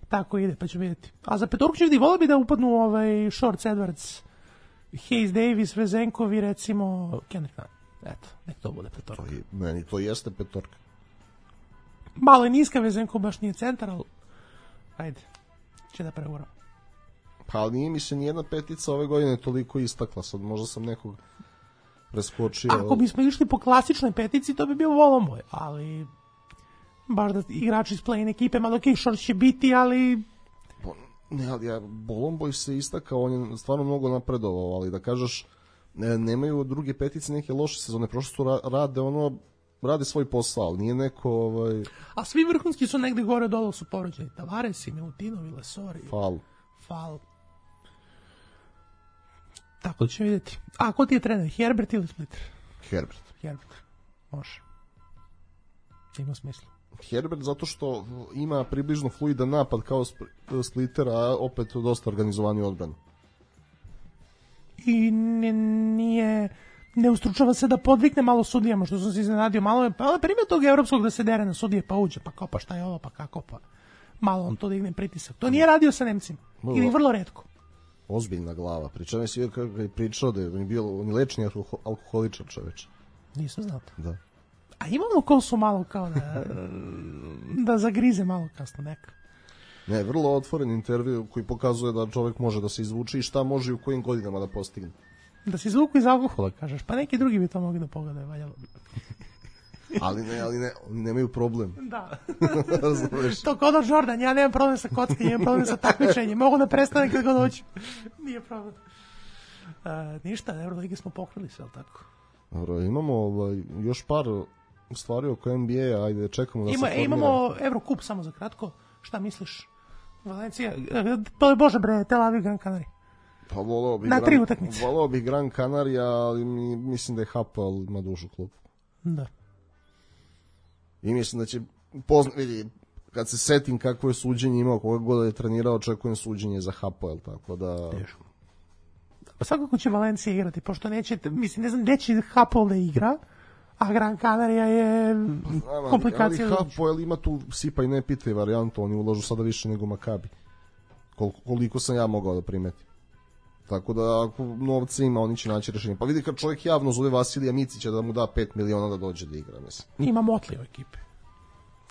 Tako ide, pa ću vidjeti. A za petorku ću vidi, volio bi da upadnu ovaj Shorts, Edwards, Hayes Davis, Vezenkovi, recimo Kendrick Nunn. Eto, nek to bude petorka. To je, meni to jeste petorka. Malo je niska, Vezenko baš nije centar, ali ajde, će da preuramo. Pa ali nije mi se nijedna petica ove godine toliko istakla, sad možda sam nekog preskočio. Ako bismo išli po klasičnoj petici, to bi bio Volomboj, ali baš da igrači iz play-in ekipe, malo ok, Short će biti, ali... Ne, ali ja, Volomboj se istakao, on je stvarno mnogo napredovao, ali da kažeš, ne, nemaju druge petice neke loše sezone, prošlo su rade ono, rade svoj posao, ali nije neko... Ovaj... A svi vrhunski su negde gore dole su porođeni, Tavares i Milutinovi, Lesori. Fal. Fal. Tako da ćemo vidjeti. A ko ti je trener, Herbert ili Splitter? Herbert. Herbert, može. Ima smisla. Herbert zato što ima približno fluidan napad kao Splitter, a opet dosta organizovani odbranu. I nije... ne ustručava se da podvikne malo sudijama, što sam se iznenadio. Malo je, pa primjer tog evropskog da se dere na sudije, pa uđe, pa kao, pa šta je ovo, pa kako, pa malo on to digne pritisak. To nije radio sa Nemcima. Ili vrlo retko. Ozbiljna glava. Pričao je svi kako je pričao da je on bio on lečni alkoholičar čoveč. Nisam znao to. Da. A imamo kosu malo kao da da zagrize malo kasno neka. Ne, vrlo otvoren intervju koji pokazuje da čovjek može da se izvuče i šta može i u kojim godinama da postigne. Da se izvuku iz alkohola, kažeš, pa neki drugi bi to mogli da pogledaju, valjalo. ali ne, ali ne, oni nemaju problem. Da. To kod od Jordan, ja nemam problem sa kockanjem, imam problem sa takmičenjem, mogu da prestane kad god hoću. Nije problem. Uh, ništa, Euroligi smo pokrili sve, ali tako? Dobro, imamo ovaj, još par stvari oko N B A, ajde čekamo da Ima, se formira. Imamo Eurocup samo za kratko, šta misliš? Valencija, uh, bože bre, Tel Aviv, Gran Canaria. Pa volao bih na tri utakmice. Volao bih Gran Canaria, ali mi, mislim da je Hapoel ima dužu klubu. Da. I mislim da će pozna, vidi, kad se setim kakvo je suđenje imao, koga god je trenirao, očekujem suđenje za Hapoel, tako da... Teško. Pa svakako će Valencija igrati, pošto neće, mislim, ne znam, gde će Hapoel da igra, a Gran Canaria je pa, komplikacija. Ali Hapoel ima tu sipa i ne pitaj varijantu, oni ulažu sada više nego Makabi. Kol, koliko sam ja mogao da primetim. Tako da ako novca ima, oni će naći rešenje. Pa vidi kad čovjek javno zove Vasilija Micića da mu da pet miliona da dođe da igra, mislim. Ima Motley u ekipe.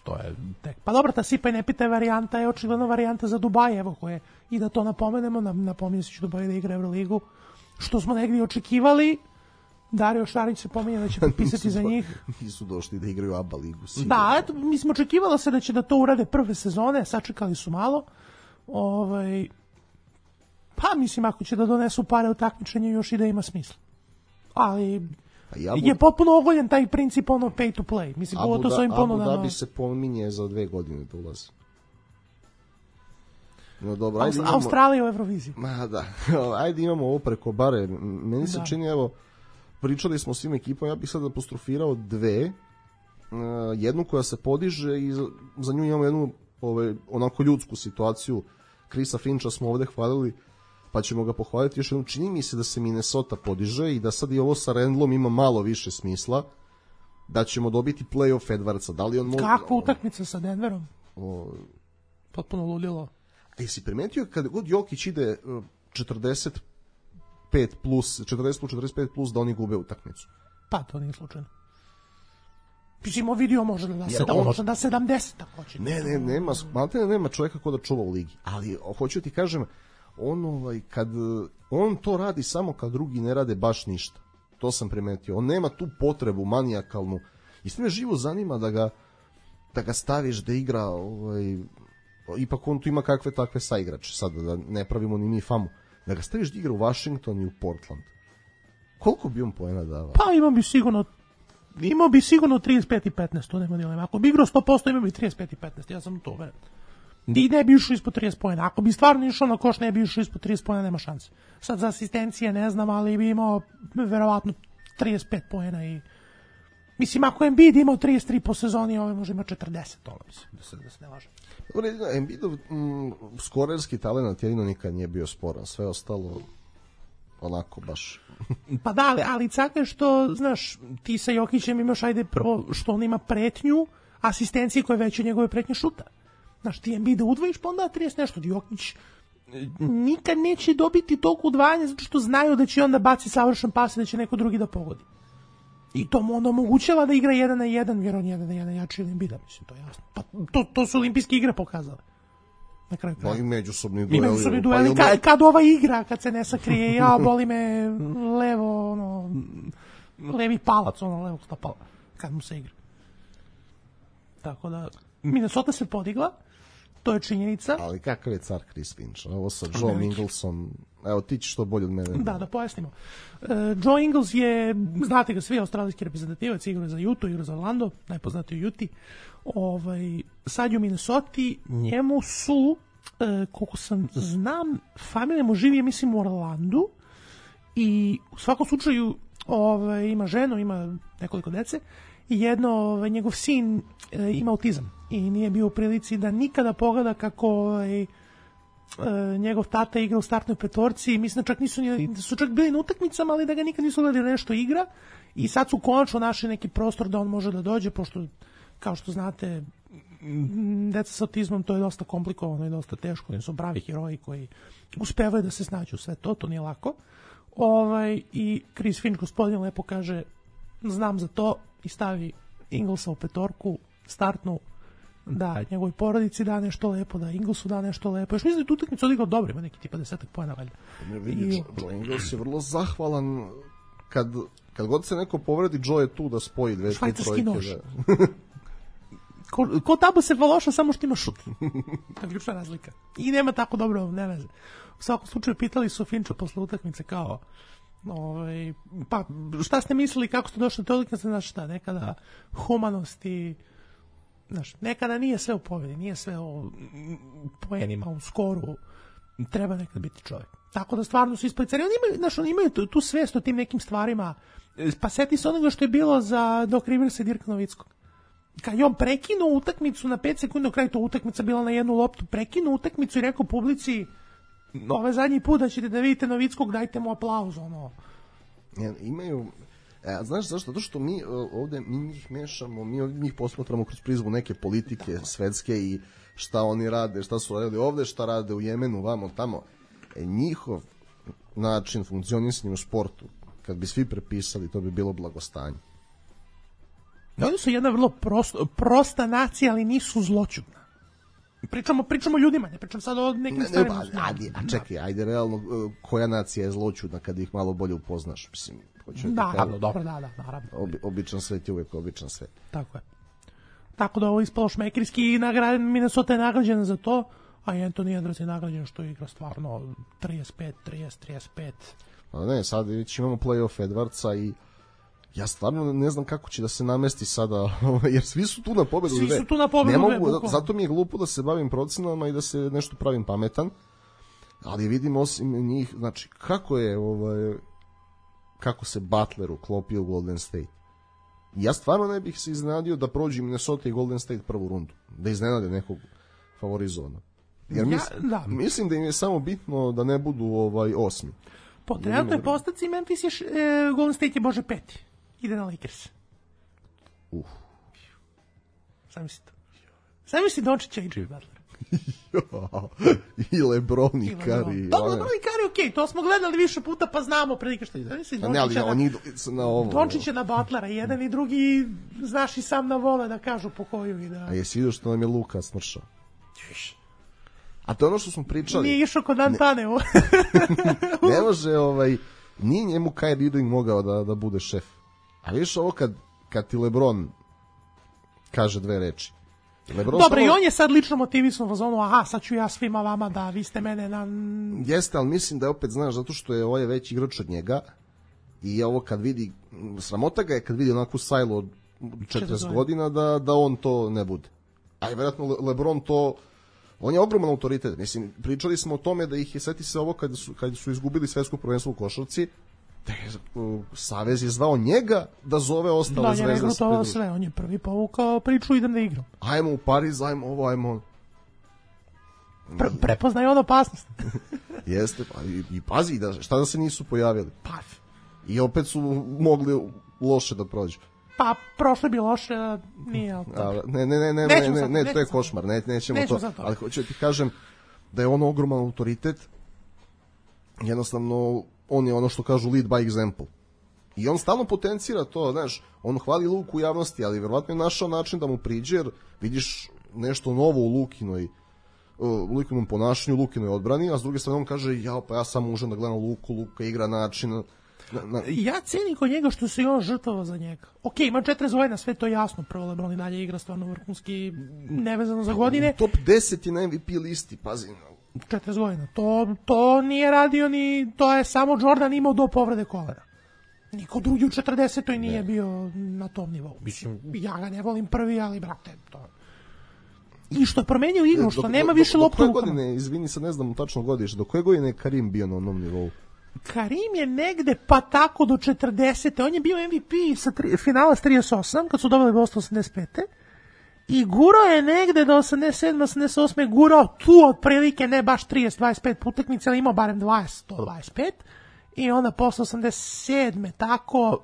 To je tek. Pa dobro, ta sipa i ne pitaj varijanta je očigledno varijanta za Dubaj, evo koje. I da to napomenemo, napominje se će Dubaj da igra Euroligu. Što smo negdje očekivali, Dario Šarić se pominje da će potpisati za njih. Nisu došli da igraju A B A ligu. Sigurno. Da, eto, mi smo očekivalo se da će da to urade prve sezone, sačekali su malo. Ovaj... Pa mislim, ako će da donesu pare u takmičenje, još i da ima smisla. Ali ja bu... je potpuno ogoljen taj princip ono pay to play. Mislim, pogotovo s ovim ponudama. Abu Dhabi se pominje za dve godine da ulazi. No dobro, ajde imamo... Australija u Euroviziji. Ma da, ajde imamo ovo preko bare. Meni se da. čini, evo, pričali smo o svim ekipama, ja bih sad apostrofirao dve. Uh, jednu koja se podiže i za, za nju imamo jednu ove, onako ljudsku situaciju. Chrisa Fincha smo ovde hvalili, pa ćemo ga pohvaliti još jednom. Čini mi se da se Minnesota podiže i da sad i ovo sa Randlom ima malo više smisla, da ćemo dobiti play-off Edwardsa. Da li on može... Kakva utakmica sa Denverom? O... Potpuno ludilo. A jesi primetio kad god Jokić ide četrdeset pet plus, četrdeset plus četrdeset pet plus da oni gube utakmicu? Pa to nije slučajno. Pisimo vidio može da se da može da sedamdeset hoće. Ne, ne, nema, maltene nema čovjeka ko da čuva u ligi. Ali hoću ti kažem, on ovaj kad on to radi samo kad drugi ne rade baš ništa. To sam primetio. On nema tu potrebu manijakalnu. Isto me živo zanima da ga da ga staviš da igra, ovaj ipak on tu ima kakve takve saigrače, sad da ne pravimo ni mi famu. Da ga staviš da igra u Washington i u Portland. Koliko bi on poena davao? Pa imao bi sigurno imao bi sigurno trideset pet i petnaest, to nema dilema. Ako bi igrao sto posto imao bi trideset pet i petnaest, ja sam to uveren. I ne bi išao ispod trideset poena. Ako bi stvarno išao na koš, ne bi išao ispod trideset poena, nema šanse. Sad za asistencije ne znam, ali bi imao verovatno trideset pet poena i mislim, ako Embiid imao trideset tri po sezoni, ovaj može ima četrdeset, to mislim, da se, da se ne laže. Embiidov mm, skorerski talent jedino nikad nije bio sporan, sve ostalo onako baš. Pa da, ali, ali caka je što, znaš, ti sa Jokićem imaš, ajde, prvo, što on ima pretnju, asistencije koje veće njegove pretnje šuta. Znaš, ti Embiida udvojiš, pa onda trideset nešto, Jokić nikad neće dobiti toliko udvajanja, zato što znaju da će onda baci savršen pas i da će neko drugi da pogodi. I to mu onda omogućava da igra jedan na jedan, jer on jedan na jedan jači ili Embiida, mislim, to je jasno. Pa to, to su olimpijske igre pokazale. Na kraju kraja. I međusobni dueli. I međusobni dueli, pa kad, kad ova igra, kad se ne sakrije, ja, boli me levo, ono, levi palac, ono, levog stopala, kad mu se igra. Tako da, Minnesota se podigla, to je činjenica. Ali kakav je car Chris Finch? Ovo sa Joe Inglesom, evo ti ćeš to bolje od mene. Da, da pojasnimo. Uh, Joe Ingles je, znate ga svi, australijski reprezentativac, igra za Utah, igra za Orlando, najpoznatiji u Utah. Ovaj, sad je u Minnesoti, njemu su, uh, koliko sam znam, familija mu živi, mislim, u Orlandu i u svakom slučaju ovaj, ima ženu, ima nekoliko dece i jedno, ovaj, njegov sin e, ima autizam i nije bio u prilici da nikada pogleda kako ovaj, e, njegov tata igra u startnoj petorci i mislim da čak nisu, da su čak bili na utakmicama, ali da ga nikad nisu gledali nešto igra i sad su konačno našli neki prostor da on može da dođe, pošto kao što znate deca sa autizmom to je dosta komplikovano i dosta teško, oni su pravi heroji koji uspevaju da se snađu sve to, to nije lako. Ovaj, i Chris Finch gospodin lepo kaže znam za to i stavi Inglesa u petorku startnu da njegovoj porodici da nešto lepo, da Inglesu da nešto lepo. Još mislim da je tu utakmicu odigrao dobro, ima neki tipa desetak poena valjda. Ne vidiš, I... Joe Ingles je vrlo zahvalan kad, kad god se neko povredi, Joe je tu da spoji dve, tri trojke. Nož. Da. ko, ko tamo se valoša samo što ima šut. To je ključna razlika. I nema tako dobro, ne veze. U svakom slučaju pitali su Finča posle utakmice kao ovaj, pa šta ste mislili, kako ste došli do te utakmice, znaš šta, nekada humanost i znaš, nekada nije sve u pobedi, nije sve u poenima, u skoru, treba nekad biti čovjek. Tako da stvarno su isplicari, oni imaju, znaš, oni imaju tu, tu svest o tim nekim stvarima, pa seti se onoga što je bilo za Doc Riversa i Dirka Novickog. Kad je on prekinuo utakmicu na pet sekundi, na kraju to utakmica bila na jednu loptu, prekinuo utakmicu i rekao publici ovaj zadnji put da ćete da vidite Novickog, dajte mu aplauz, ono. Ja, imaju, e, znaš zašto? Zato što mi ovde, mi njih mešamo, mi ovde njih posmatramo kroz prizmu neke politike svetske i šta oni rade, šta su radili ovde, šta rade u Jemenu, vamo, tamo. E, njihov način funkcionisanja u sportu, kad bi svi prepisali, to bi bilo blagostanje. Oni su jedna vrlo prosto, prosta nacija, ali nisu zloćudna. Pričamo, pričamo ljudima, ne pričam sad o nekim stvarima. Ne, ajde, a čekaj, ajde, realno, koja nacija je zloćudna kad ih malo bolje upoznaš? Mislim, da, da, dobro, da, da, naravno. Obi, običan svet je uvek običan svet. Tako je. Tako da ovo ispalo šmekirski i nagrad, Minnesota je nagrađena za to, a Anthony Edwards je nagrađen što igra stvarno trideset pet, trideset, trideset pet. A ne, sad već imamo play-off Edwardsa i ja stvarno ne znam kako će da se namesti sada, jer svi su tu na pobedu. Svi su tu na pobedu. Ne mogu, zato mi je glupo da se bavim procenama i da se nešto pravim pametan, ali vidim osim njih, znači, kako je, ovaj, kako se Butler uklopio u Golden State. Ja stvarno ne bih se iznenadio da prođe Minnesota i Golden State prvu rundu, da iznenade nekog favorizovana. Jer mislim, ja, da. mislim da im je samo bitno da ne budu ovaj osmi. Po trenutnoj postavci Memphis je, e, Golden State je bože peti. Ide na Lakers. Uf. Sam misli to. Sam misli Dončića i Jimmy Butler. I LeBron i Curry. Dobro, LeBron i Curry, okej, okay, to smo gledali više puta, pa znamo prilike što ide. A ne, ali oni idu na ovo. Dončića na Butlera, jedan i drugi, znaš i sam na vole da kažu po koju i da... A jesi vidio što nam je Luka smršao? A to je ono što smo pričali. Nije išao kod Antaneu. Ne može, ovaj, nije njemu Kyrie Irving mogao da, da bude šef. A vidiš ovo kad, kad ti LeBron kaže dve reči. LeBron Dobro, samo... i on je sad lično motivisan u zonu, aha, sad ću ja svima vama da vi ste mene na... Jeste, ali mislim da je opet, znaš, zato što je ovo je veći igrač od njega i ovo kad vidi, sramota ga je kad vidi onakvu sajlu od četrdeset godina da, da on to ne bude. A je vjerojatno Le, LeBron to... On je ogroman autoritet. Mislim, pričali smo o tome da ih je, seti se ovo kad su, kad su izgubili svetsko prvenstvo u košarci, da je, uh, Savez je zvao njega da zove ostale da, zvezde. Da, je to sve, on je prvi povukao priču, idem da igram. Ajmo u Pariz, ajmo ovo, ajmo ono. Pre, prepoznaj on opasnost. Jeste, pa i, i pazi, da, šta da se nisu pojavili. Pa. I opet su mogli loše da prođu. Pa, prošle bi loše, nije... A, ne, ne, ne, ne, ne, ne, ne, ne, to je košmar, ne, nećemo to, to, ali hoću ti kažem da je on ogroman autoritet, jednostavno, on je ono što kažu lead by example. I on stalno potencira to, znaš, on hvali Luku u javnosti, ali verovatno je našao način da mu priđe, jer vidiš nešto novo u Lukinoj, u Lukinom ponašanju, Lukinoj odbrani, a s druge strane on kaže, ja, pa ja samo užem da gledam Luku, Luka igra način... Na, na... Ja cenim kod njega što se on žrtvovao za njega. Ok, ima četrdeset godina, sve to jasno. Prvo LeBron i dalje igra stvarno vrhunski, nevezano za godine. Top deset je na M V P listi, pazi. četrdeset godina. To, to nije radio ni... To je samo Jordan imao do povrede kolena. Niko drugi u četrdesetoj nije ne. bio na tom nivou. Mislim, ja ga ne volim prvi, ali brate, to... I što je promenio igru, što do, nema do, više loptu u rukama. Godine, izvini, sad ne znam tačno godište, do koje godine je Karim bio na onom nivou? Karim je negde pa tako do četrdesete. On je bio M V P sa tri, finala s trideset osam, kad su dobili Boston osamdeset pete. I gurao je negde do osamdeset sedme osamdeset osme gurao tu otprilike, ne baš trideset dvadeset pet utakmica, ali imao barem dvadeset do dvadeset pet. I onda posle osamdeset sedme tako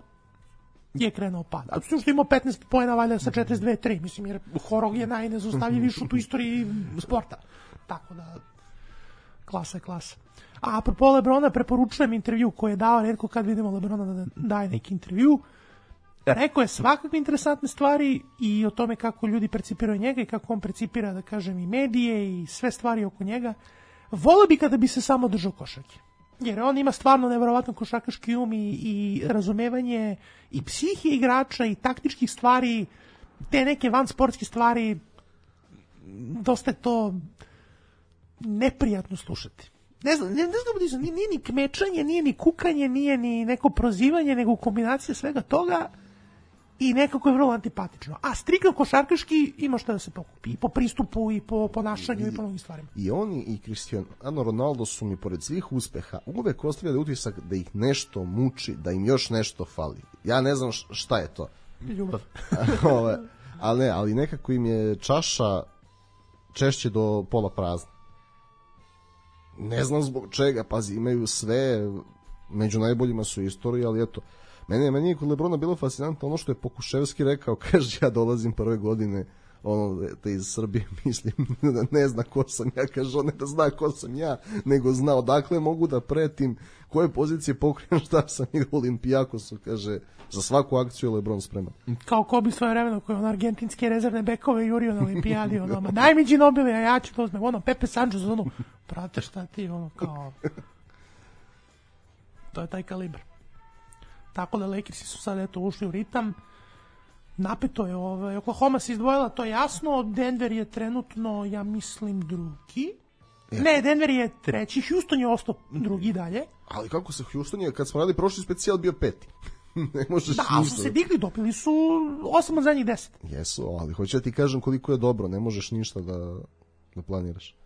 je krenuo pad. A što je imao petnaest poena valjda sa četrdeset dve tri, mislim, jer Horog je najnezaustavljiviji šut u istoriji sporta. Tako da, klasa je klasa. A apropo Lebrona, preporučujem intervju koji je dao, retko kad vidimo Lebrona da daje neki intervju. Rekao je svakakve interesantne stvari i o tome kako ljudi percipiraju njega i kako on percipira, da kažem, i medije i sve stvari oko njega. Voleo bi kada bi se samo držao košarke. Jer on ima stvarno neverovatno košarkaški um i, i razumevanje i psihije igrača i taktičkih stvari, te neke vansportske stvari, dosta je to neprijatno slušati. Ne znam, ne, ne znam, nije, nije ni kmečanje, nije ni kukanje, nije ni neko prozivanje, nego kombinacija svega toga i nekako je vrlo antipatično. A striktno košarkaški ima šta da se pokupi. I po pristupu, i po ponašanju, i, i po mnogim stvarima. I oni i Cristiano Ronaldo su mi, pored svih uspeha, uvek ostavljali utisak da ih nešto muči, da im još nešto fali. Ja ne znam šta je to. Ljubav. ali ne, ali nekako im je čaša češće do pola prazna. Ne znam zbog čega, pazi, imaju sve, među najboljima su istoriji, ali eto, meni, meni je kod Lebrona bilo fascinantno ono što je Pokuševski rekao, kaže, ja dolazim prve godine ono, te iz Srbije, mislim, ne zna ko sam ja, kaže, on ne da zna ko sam ja, nego zna odakle mogu da pretim, koje pozicije pokrijem, šta sam igrao u Olimpijakosu, kaže, za svaku akciju je Lebron spreman. Kao Kobe svoje vremeno, koji je on argentinske rezervne bekove jurio na Olimpijadi, ono, ma daj mi Ginobili, a ja ću to uzmem, ono, Pepe Sanchez, ono, prate šta ti, ono, kao, to je taj kalibar. Tako da Lakersi su sad, eto, ušli u ritam, napeto je, ovaj, Oklahoma se izdvojila, to je jasno, Denver je trenutno, ja mislim, drugi. Ne, Denver je treći, Houston je ostao drugi dalje. Ali kako se Houston je, kad smo radili prošli specijal, bio peti. Ne možeš da, ništa. Da, su se digli, dopili su osam od zadnjih deset. Jesu, ali hoću da ti kažem koliko je dobro, ne možeš ništa da, da planiraš.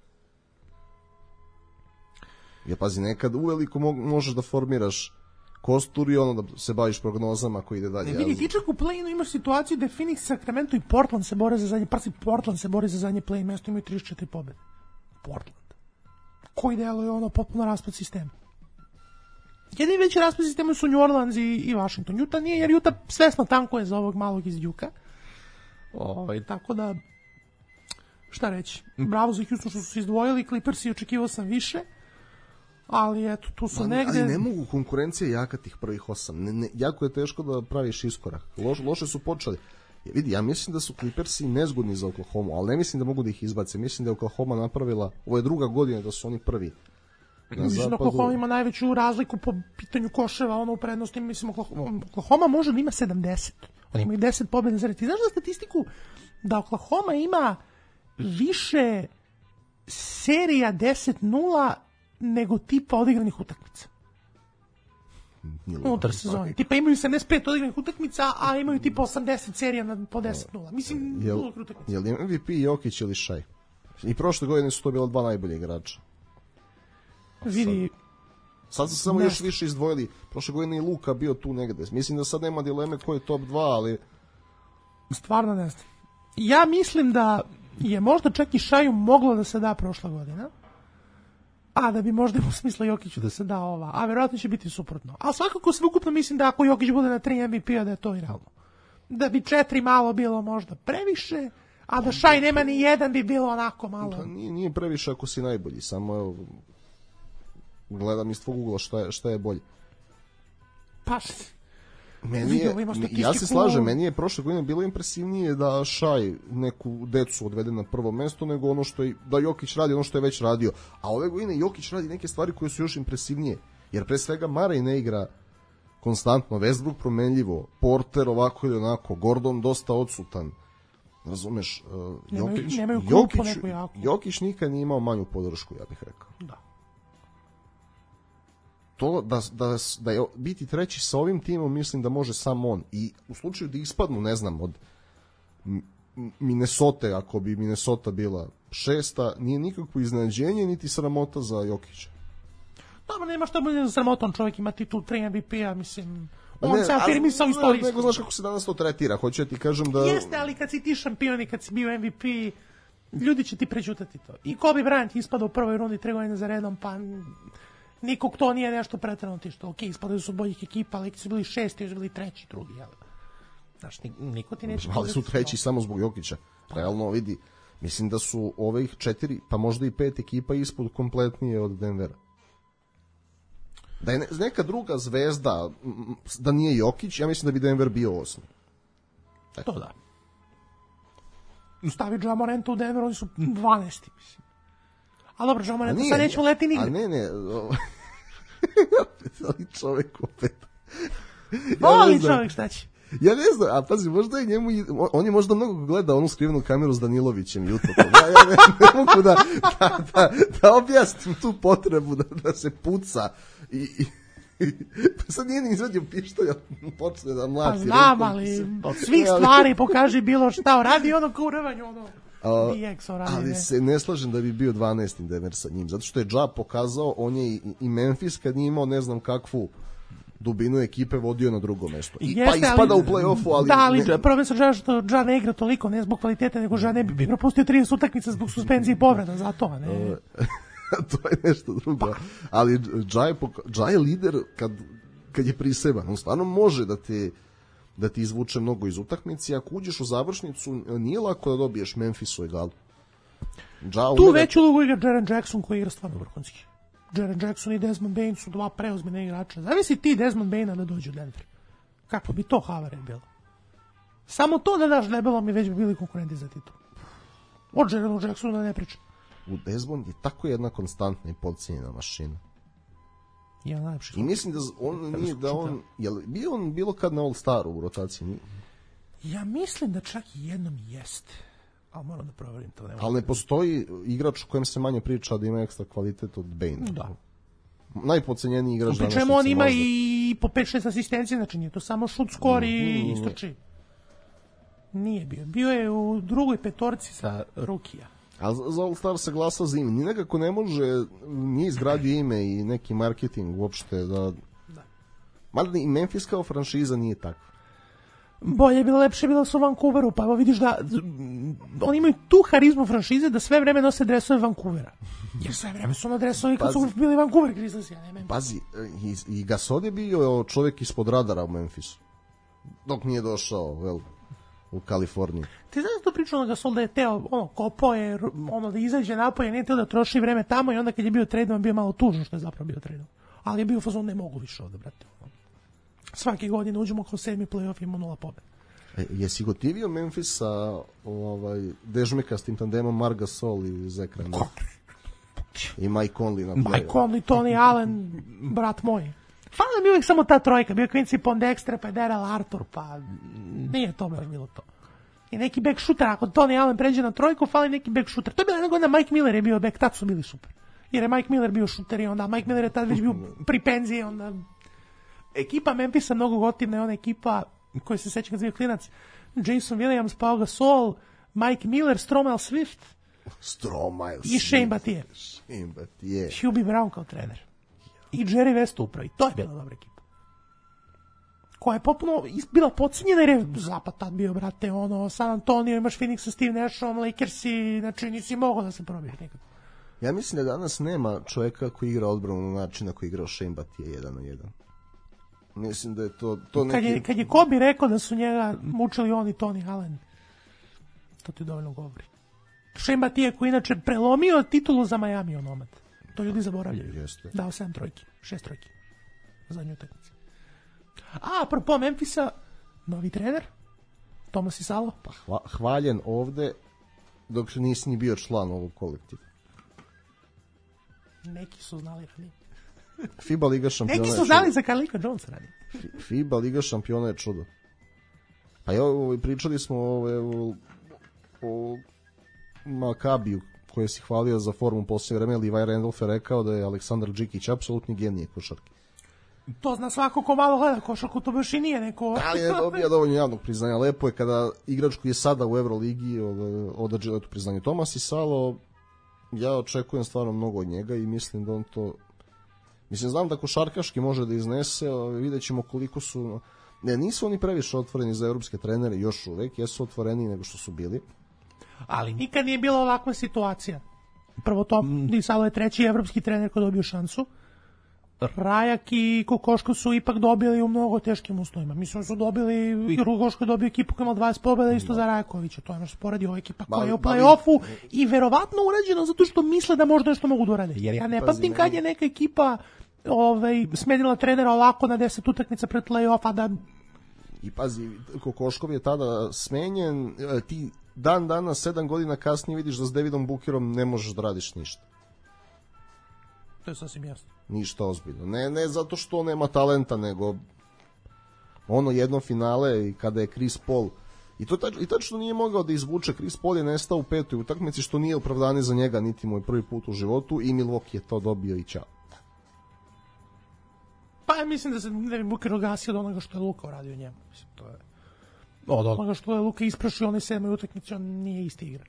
Ja, pazi, nekad uveliko mo- možeš da formiraš kostur i ono da se baviš prognozama koji ide dalje. Ne, vidi, ti čak u play-inu imaš situaciju da je Phoenix, Sacramento i Portland se bore za zadnje, prvi Portland se bori za zadnje play mesto, imaju trideset četiri pobede. Portland. Koji delo je ono potpuno raspad sistema. Jedini veći raspad sistema su New Orleans i, i Washington. Utah nije, jer Utah svesno tankuje za ovog malog iz Duke-a. Ovaj, tako da, šta reći, bravo za Houston što su se izdvojili, Clippersi očekivao sam više, ali eto, tu su Ma, negde... Ali ne mogu, konkurencija jaka tih prvih osam. Ne, ne, jako je teško da praviš iskorak. Loš, loše su počeli. Ja, vidi, ja mislim da su Clippersi nezgodni za Oklahoma, ali ne mislim da mogu da ih izbace. Mislim da je Oklahoma napravila, ovo je druga godina da su oni prvi. Mislim da Oklahoma ima najveću razliku po pitanju koševa, ono u prednosti, mislim, Oklahoma, Oklahoma može da ima sedamdeset. Oni imaju deset pobjeda za red. Ti znaš za statistiku da Oklahoma ima više serija deset nula nego tipa odigranih utakmica. Unutar sezoni. Tipa imaju sedamdeset pet odigranih utakmica, a imaju tipa osamdeset serija na, po deset nula. Mislim, jel, utakmica. Jel M V P Jokić ili Shai? I prošle godine su to bila dva najbolje igrača. Vidi, sad su samo ne. još više izdvojili. Prošle godine i Luka bio tu negde. Mislim da sad nema dileme ko je top dva, ali... Stvarno ne znam. Ja mislim da je možda čak i Šaju moglo da se da prošla godina, a da bi možda u smislu Jokiću da se da ova, a verovatno će biti suprotno. A svakako sveukupno mislim da ako Jokić bude na tri M V P-a da je to i realno. Da bi četiri malo bilo možda previše, a da Šaj nema ni jedan bi bilo onako malo... Pa nije, nije previše ako si najbolji, samo evo... Gledam iz tvog ugla šta je, šta je bolje. Pa, meni je, ja se slažem, meni je prošle godine bilo impresivnije da Šaj neku decu odvede na prvo mesto nego ono što je, da Jokić radi ono što je već radio. A ove godine Jokić radi neke stvari koje su još impresivnije. Jer pre svega Murray ne igra konstantno, Westbrook promenljivo, Porter ovako ili onako, Gordon dosta odsutan. Razumeš, uh, Jokić, nemaju, nemaju Jokić, Jokić nikad nije imao manju podršku, ja bih rekao. Da. To da, da, da je biti treći sa ovim timom, mislim da može samo on. I u slučaju da ispadnu, ne znam, od Minnesota, ako bi Minnesota bila šesta, nije nikakvo iznenađenje niti sramota za Jokića. Tamo nema što bude sramotan, čovjek ima titul tri M V P-a, mislim, on ne, se afirmisao istorijski. Nego znaš kako se danas to tretira, hoću ja ti kažem da... Jeste, ali kad si ti šampion i kad si bio M V P, ljudi će ti prećutati to. I Kobe Bryant ispada u prvoj rundi tri godine za redom, pa nikog to nije nešto pretrano ti što, ok, ispadaju su boljih ekipa, ali su bili šesti, još bili treći, drugi, jel? Znaš, niko ti neće... Ali su treći samo zbog Jokića. Realno, vidi, mislim da su ovih četiri, pa možda i pet ekipa ispod kompletnije od Denvera. Da je neka druga zvezda, da nije Jokić, ja mislim da bi Denver bio osmi. E. To da. Stavi Ja Moranta u Denver, oni su dvanaesti, mislim. A dobro, Ja Moranta sad nećemo leti nigde. A ne, ne. Ali čovek opet. Voli ja čovek, šta će? Ja ne znam, a pazi, možda je njemu, on je možda mnogo gleda onu skrivenu kameru s Danilovićem jutro. Ja, ja ne, ne mogu da, da, da, da objasnim tu potrebu da, da se puca i, i, i pa sad nije ni izvadio pištolj, počne da mlati. Pa znam, ali od svih stvari pokaži bilo šta, radi ono kao u rvanju, ono. A, ali se ne slažem da bi bio dvanaesti Denver sa njim, zato što je Ja pokazao, on je i, i Memphis kad nije imao ne znam kakvu dubinu ekipe vodio na drugo mesto. I, Jeste, pa ispada ali, u play-offu, ali... Da, ali ne... problem sa Ja što Ja ne igra toliko, ne zbog kvalitete, nego Ja ne bi propustio trideset utakmica zbog suspenzije i povreda, zato, a ne... To je nešto drugo. Pa. Ali Ja je, ja je lider kad, kad je priseban. On stvarno može da te da ti izvuče mnogo iz utakmice. Ako uđeš u završnicu, nije lako da dobiješ Memphis u egalu. Ja tu umere... veću ulogu igra Jaren Jackson koji igra stvarno vrhunski. Jaren Jackson i Desmond Bane su dva preozbiljna igrača. Zavisi ti Desmond Bane da dođe u Denver. Kako bi to havare bilo? Samo to da daš debelom i već bi bili konkurenti za titul. Od Jarenu Jacksonu da ne pričam. U Desmond je tako jedna konstantna i podcijenjena mašina. Ja najlepši. I mislim da on nije da on jel bio on bilo kad na All Staru u rotaciji. Nije? Ja mislim da čak i jednom jeste. Ali moram da proverim to. Ali ne postoji igrač u kojem se manje priča da ima ekstra kvalitet od Bane. Da. Najpocenjeniji igrač danas. Pričemu on ima možda... i po pet šest asistencije, znači nije to samo šut, skor i mm, istoči. Nije bio. Bio je u drugoj petorci sa Rukija. A za All Star se glasa za ime. Ni nekako ne može, nije izgradio ime i neki marketing uopšte. Da... da. Mada i Memphis kao franšiza nije tako. Bolje je bilo, lepše je bilo su u Vancouveru, pa evo vidiš da oni imaju tu harizmu franšize da sve vreme nose dresove Vancouvera. Jer sve vreme su na dresovi kad su bili Vancouver Grizzlies, ja ne Memphis. Pazi, i, i Gasol je bio čovjek ispod radara u Memphisu. Dok nije došao, vel, u Kaliforniju. Ti znaš to pričao na Gasol da je teo, ono, kopao je, ono, da izađe napolje, nije teo da troši vreme tamo i onda kad je bio tradeom bio malo tužno što je zapravo bio tradeom. Ali je bio fazon, ne mogu više ovde, brate. Svake godine uđemo kao sedmi play-off i imamo nula pobjeda. E, jesi gotivio Memphis sa ovaj, dežmika s tim tandemom Marc Gasol i Zach Randolph? I Mike Conley na play-off. Mike Conley, Tony Allen, brat moj. Fala mi uvijek samo ta trojka. Bio Quincy Pondexter, pa Daryl Arthur, pa nije to baš bilo to. I neki back shooter, ako Tony Allen pređe na trojku, fali neki back shooter. To je bila jedna godina, Mike Miller je bio back, tad su bili super. Jer je Mike Miller bio shooter i onda Mike Miller je tad već bio pri penziji, onda... Ekipa Memphisa mnogo gotivna je ona ekipa koja se seća kad je bio klinac. Jason Williams, Pau Gasol, Mike Miller, Stromile Swift. Stromile i Shane Battier. Shane Battier. Hubie Brown kao trener. I Jerry West upravi. To je bila dobra ekipa. Koja je potpuno bila podcenjena jer je zapad tad bio, brate, ono, San Antonio, imaš Phoenix sa Steve Nashom, Lakersi, znači nisi mogao da se probiješ nikako. Ja mislim da danas nema čovjeka koji igra odbranu na način na koji igrao Shane Battier jedan na jedan. Mislim da je to, to neki... Kad je, kad je Kobe rekao da su njega mučili on i Tony Allen, to ti dovoljno govori. Shane Battier koji inače prelomio titulu za Miami onomad. To ljudi zaboravljaju. Jeste. Dao sedam trojki, šest trojki. Zadnju utakmicu. A, apropo Memphisa, novi trener, Tomas Isalo. Pa hva, hvaljen ovde, dok nisi ni bio član ovog kolektiva. Neki su znali ranije. FIBA Liga šampiona. Neki su znali za Carlito Jones radi. FIBA Liga šampiona je čudo. Pa evo, pričali smo ove, o, o Makabiju, koje si hvalio za formu poslije vreme. Levi Randolph je rekao da je Aleksandar Džikić apsolutni genije košarke. To zna svako ko malo gleda košarku, to baš i nije neko... Ali je dobija dovoljno javnog priznanja. Lepo je kada igrač koji je sada u Euroligi odađe leto priznanje. Tomas Isalo, ja očekujem stvarno mnogo od njega i mislim da on to Mislim, znam da košarkaški može da iznese, vidjet ćemo koliko su... Ne, nisu oni previše otvoreni za evropske trenere, još uvek, jesu otvoreni nego što su bili. Ali nikad nije bila ovakva situacija. Prvo to, mm. Salo je treći evropski trener koji dobio šansu. Rajak i Kokoško su ipak dobili u mnogo teškim uslovima. Mislim su dobili, i Kokoško je dobio ekipu koja ima dvadeset pobjeda isto za Rajakovića. To je nešto sporedi ova ekipa koja je u play-offu i verovatno urađeno zato što misle da možda nešto mogu da urade. Jer ja ne pamtim kad je neka ekipa ovaj, smenila trenera ovako na deset utakmica pred play-offa da... I pazi, Kokoškov je tada smenjen, ti dan danas, sedam godina kasnije vidiš da s Davidom Bookerom ne možeš da radiš ništa. To je sasvim jasno. Ništa ozbiljno. Ne, ne zato što nema talenta, nego ono jedno finale i kada je Chris Paul i to tač, i tačno nije mogao da izvuče. Chris Paul je nestao u petoj utakmici, što nije opravdanje za njega, niti mu je prvi put u životu, i Milwaukee je to dobio i čao. Pa ja mislim da se Devin Booker ogasio od onoga što je Luka uradio njemu. Mislim, to je... Od onoga što je Luka isprašio onaj sedmoj utakmici, on nije isti igrač.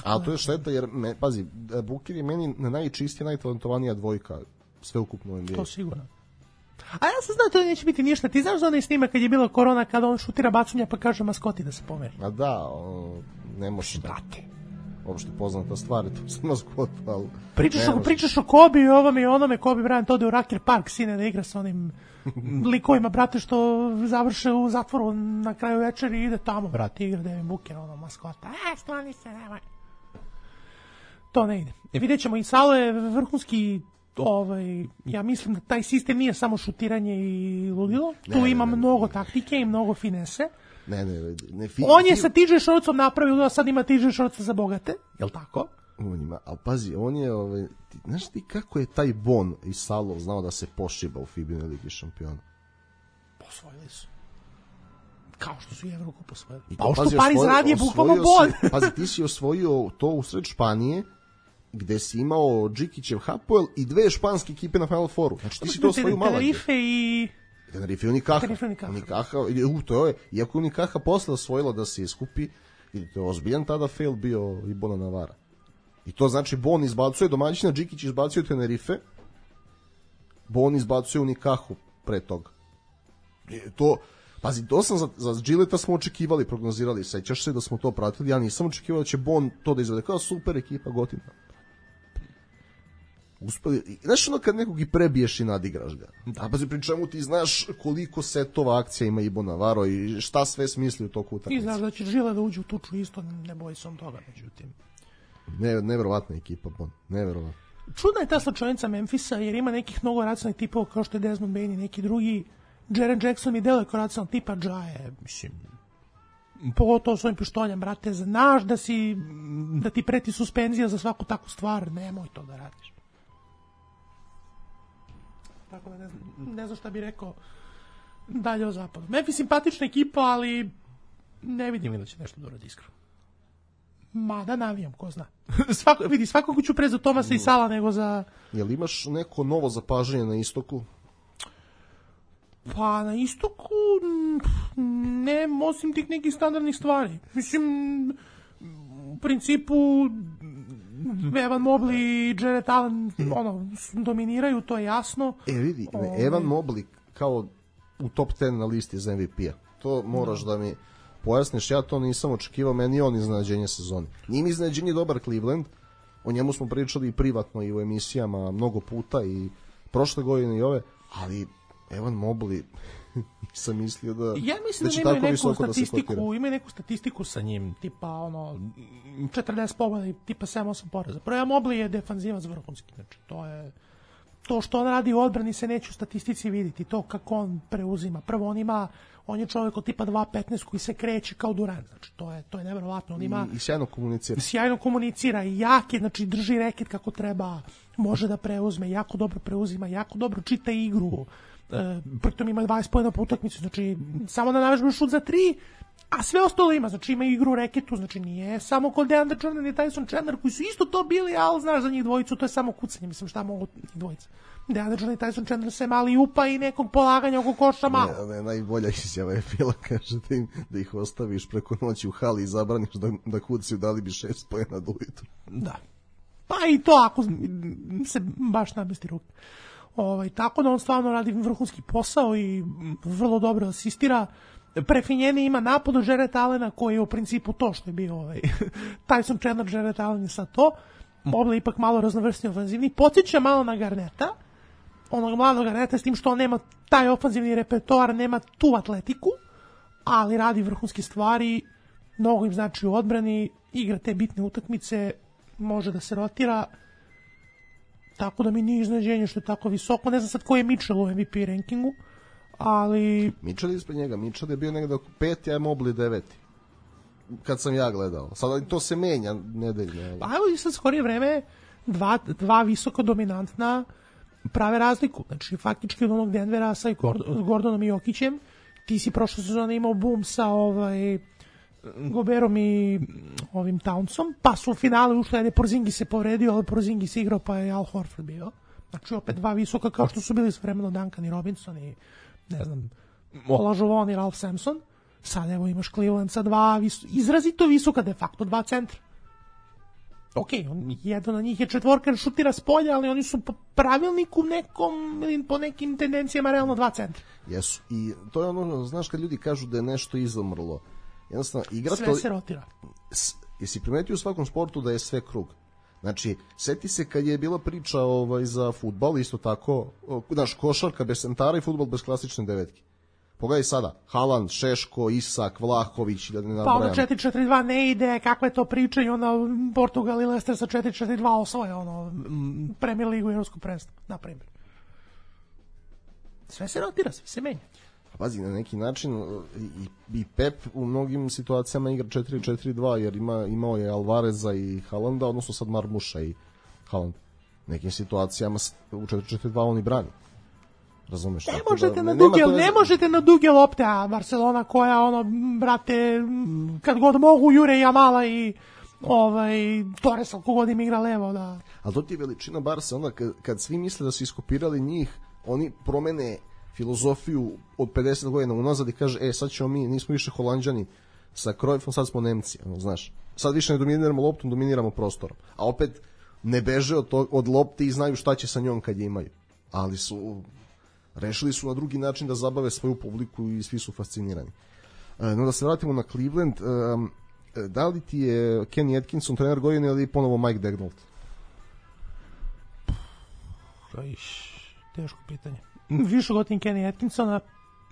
A to je šteta, jer, me, pazi, Booker je meni najčistija, najtalentovanija dvojka sveukupno u N B A. To sigurno. A ja sam znao to neće biti ništa. Ti znaš za onaj snimak kad je bila korona, kada on šutira bacunja pa kaže maskoti da se pomeri? A da, o, ne može da. Uopšte poznata stvar je to sa maskotu, ali... Pričaš, o, pričaš o Kobe i ovome i onome, Kobe Bryant ode u Rucker Park, sine, da igra sa onim likovima, brate, što završe u zatvoru na kraju večeri i ide tamo, brate, igra Devin Booker, ono, maskota. E, skloni se, nemoj. To ne ide. E, vidjet ćemo, i Salo je vrhunski, ovaj, ja mislim da taj sistem nije samo šutiranje i ludilo, tu ne, ima ne, ne, mnogo ne. taktike i mnogo finese. Ne, ne, ne, fi, on je fi... sa T J Shortsom napravio, a sad ima T J Shortsa za bogate, jel tako? On ima, ali pazi, on je, ovaj, ti, znaš ti kako je taj Bon i Salo znao da se pošiba u Fibine Ligi šampiona? Posvojili su. Kao što su i Evrokup osvojili. Pa ovo što Paris radi je bukvalno Bon. Pazi, ti si osvojio to u sred Španije, gde si imao Džikićev Hapoel i dve španske ekipe na Final Fouru. Znači ti si to osvojio malo. Tenerife i... Tenerife i Unikaha. Unikaha, u, to je, iako Unikaha posle osvojila da se iskupi, vidite, ozbiljan tada fail bio i Bona Navara. I to znači Bon izbacuje domaćina, Džikić izbacuje Tenerife, Bon izbacuje Unikahu pre toga. To, pazi, to sam za, za Gilleta smo očekivali, prognozirali, sećaš se da smo to pratili, ja nisam očekivao da će Bon to da izvede, kao super ekipa gotivna. Uspeli, znaš ono kad nekog i prebiješ i nadigraš ga. A pazi, pri čemu ti znaš koliko setova akcija ima Ibo Navarro i šta sve smisli u toku utakmice. I znaš da će Žile da uđe u tuču isto, ne boji se on toga, međutim. Ne, neverovatna ekipa, Bon, neverovatna. Čudna je ta slučajnica Memfisa, jer ima nekih mnogo racionalnih tipova kao što je Desmond Bane i neki drugi. Jaren Jackson mi deluje kao racionalni tipa, Džaje, mislim, pogotovo svojim pištoljem, brate, znaš da si, da ti preti suspenzija za svaku takvu stvar, nemoj to da radiš. Tako da ne znam, ne znam šta bih rekao dalje o zapadu. Memphis simpatična ekipa, ali ne vidim da će nešto da uradi iskreno. Mada navijam, ko zna. Svako, vidi, svakako ću pre za Tomasa i Sala nego za... Jel imaš neko novo zapažanje na istoku? Pa na istoku ne, osim tih nekih standardnih stvari. Mislim, u principu Evan Mobley i Jarrett Allen ono, dominiraju, to je jasno. E vidi, o... Evan Mobley kao u top deset na listi za M V P-a. To moraš da, da mi pojasniš, ja to nisam očekivao, meni on iznenađenje sezone. Nije mi iznenađenje dobar Cleveland, o njemu smo pričali i privatno i u emisijama mnogo puta i prošle godine i ove, ali Evan Mobley nisam mislio da ja mislim da, da, da imaju neku statistiku, da imaju neku statistiku sa njim, tipa ono četrdeset pobjeda i tipa sedam osam poraza. Prvo Mobley je defanzivac vrhunski, znači to je to što on radi u odbrani se neće u statistici vidjeti, to kako on preuzima. Prvo on ima, on je čovjek od tipa dva petnaest koji se kreće kao Durant, znači to je to je neverovatno, on ima i, i sjajno komunicira. Sjajno komunicira i jak je, znači drži reket kako treba, može da preuzme, jako dobro preuzima, jako dobro čita igru. E, pritom ima dvadeset poena po utakmici, znači samo da navežba šut za tri, a sve ostalo ima, znači ima igru reketu, znači nije samo kod DeAndre Jordan i Tyson Chandler koji su isto to bili, ali znaš za njih dvojicu to je samo kucanje, mislim šta mogu njih dvojica. DeAndre Jordan i Tyson Chandler se mali upa i nekog polaganja oko koša malo. Ne, ne, najbolja izjava je bila, kaže da, im, da ih ostaviš preko noći u hali i zabraniš da, da kucaju, dali bi šest poena do ujutru. Da. Pa i to ako se baš namesti ruke. Ovaj, tako da on stvarno radi vrhunski posao i vrlo dobro asistira. Prefinjeni ima napad od Jarrett Allena koji je u principu to što je bio ovaj, Tyson Chandler, Jarrett Allen je sad to. Moble ipak malo raznovrsni ofenzivni. Podsjeća malo na Garneta, onog mladog Garneta, s tim što on nema taj ofenzivni repertoar, nema tu atletiku, ali radi vrhunske stvari, mnogo im znači u odbrani, igra te bitne utakmice, može da se rotira, tako da mi nije iznenađenje što je tako visoko. Ne znam sad ko je Mitchell u M V P rankingu, ali... Mitchell je ispred njega, Mitchell je bio negde oko peti, a je Mobley deveti. Kad sam ja gledao. Sada to se menja nedeljno. Pa evo i sad skorije vreme dva, dva visoko dominantna prave razliku. Znači, faktički od onog Denvera sa Gordonom i Jokićem, ti si prošle sezone imao boom sa ovaj, Goberom i ovim Townsom, pa su u finale ušli, ajde, Porzingis se povredio, ali Porzingis igrao, pa je Al Horford bio. Znači, opet dva visoka, kao što su bili s vremeno Duncan i Robinson i, ne znam, Olajuwon i Ralph Sampson. Sad evo imaš Cleveland sa dva vis, izrazito visoka, de facto dva centra. Ok, on, jedan od njih je četvorka, šutira s polja, ali oni su po pravilniku nekom, ili po nekim tendencijama realno dva centra. Jesu, i to je ono, znaš kad ljudi kažu da je nešto izumrlo, jednostavno igra sve to... se rotira. S, jesi primetio u svakom sportu da je sve krug? Znači, seti se kad je bila priča ovaj, za fudbal, isto tako, znaš, košarka bez centara i fudbal bez klasične devetke. Pogledaj sada, Haaland, Šeško, Isak, Vlahović, da ne nabrajam. Pa ono četiri četiri dva ne ide, kakva je to priča i onda Portugal i Leicester sa četiri četiri dva osvoje ono, Premier ligu i Evropsku prvenstvo, na primjer. Sve se rotira, sve se menja. Pazi, na neki način i, i Pep u mnogim situacijama igra četiri četiri dva jer ima, imao je Alvareza i Haalanda, odnosno sad Marmuša i Haaland. Nekim situacijama u četiri četiri dva oni brani. Razumeš? Ne možete da, na duge, ne, ne možete na duge lopte, a Barcelona koja ono, brate, kad god mogu jure Jamala i ovaj Torres, ako god im igra levo, da. Ali to ti je veličina Barca, onda kad, kad svi misle da su iskopirali njih, oni promene filozofiju od pedeset godina unazad i kaže, e, sad ćemo mi, nismo više Holanđani sa Cruyffom, sad smo Nemci, ono, znaš. Sad više ne dominiramo loptom, dominiramo prostorom. A opet ne beže od, to, od lopte i znaju šta će sa njom kad je imaju. Ali su... rešili su na drugi način da zabave svoju publiku i svi su fascinirani. No da se vratimo na Cleveland, da li ti je Kenny Atkinson trener godine ili ponovo Mike Daigneault? Teško pitanje. Više gotim Kenny Atkinsona,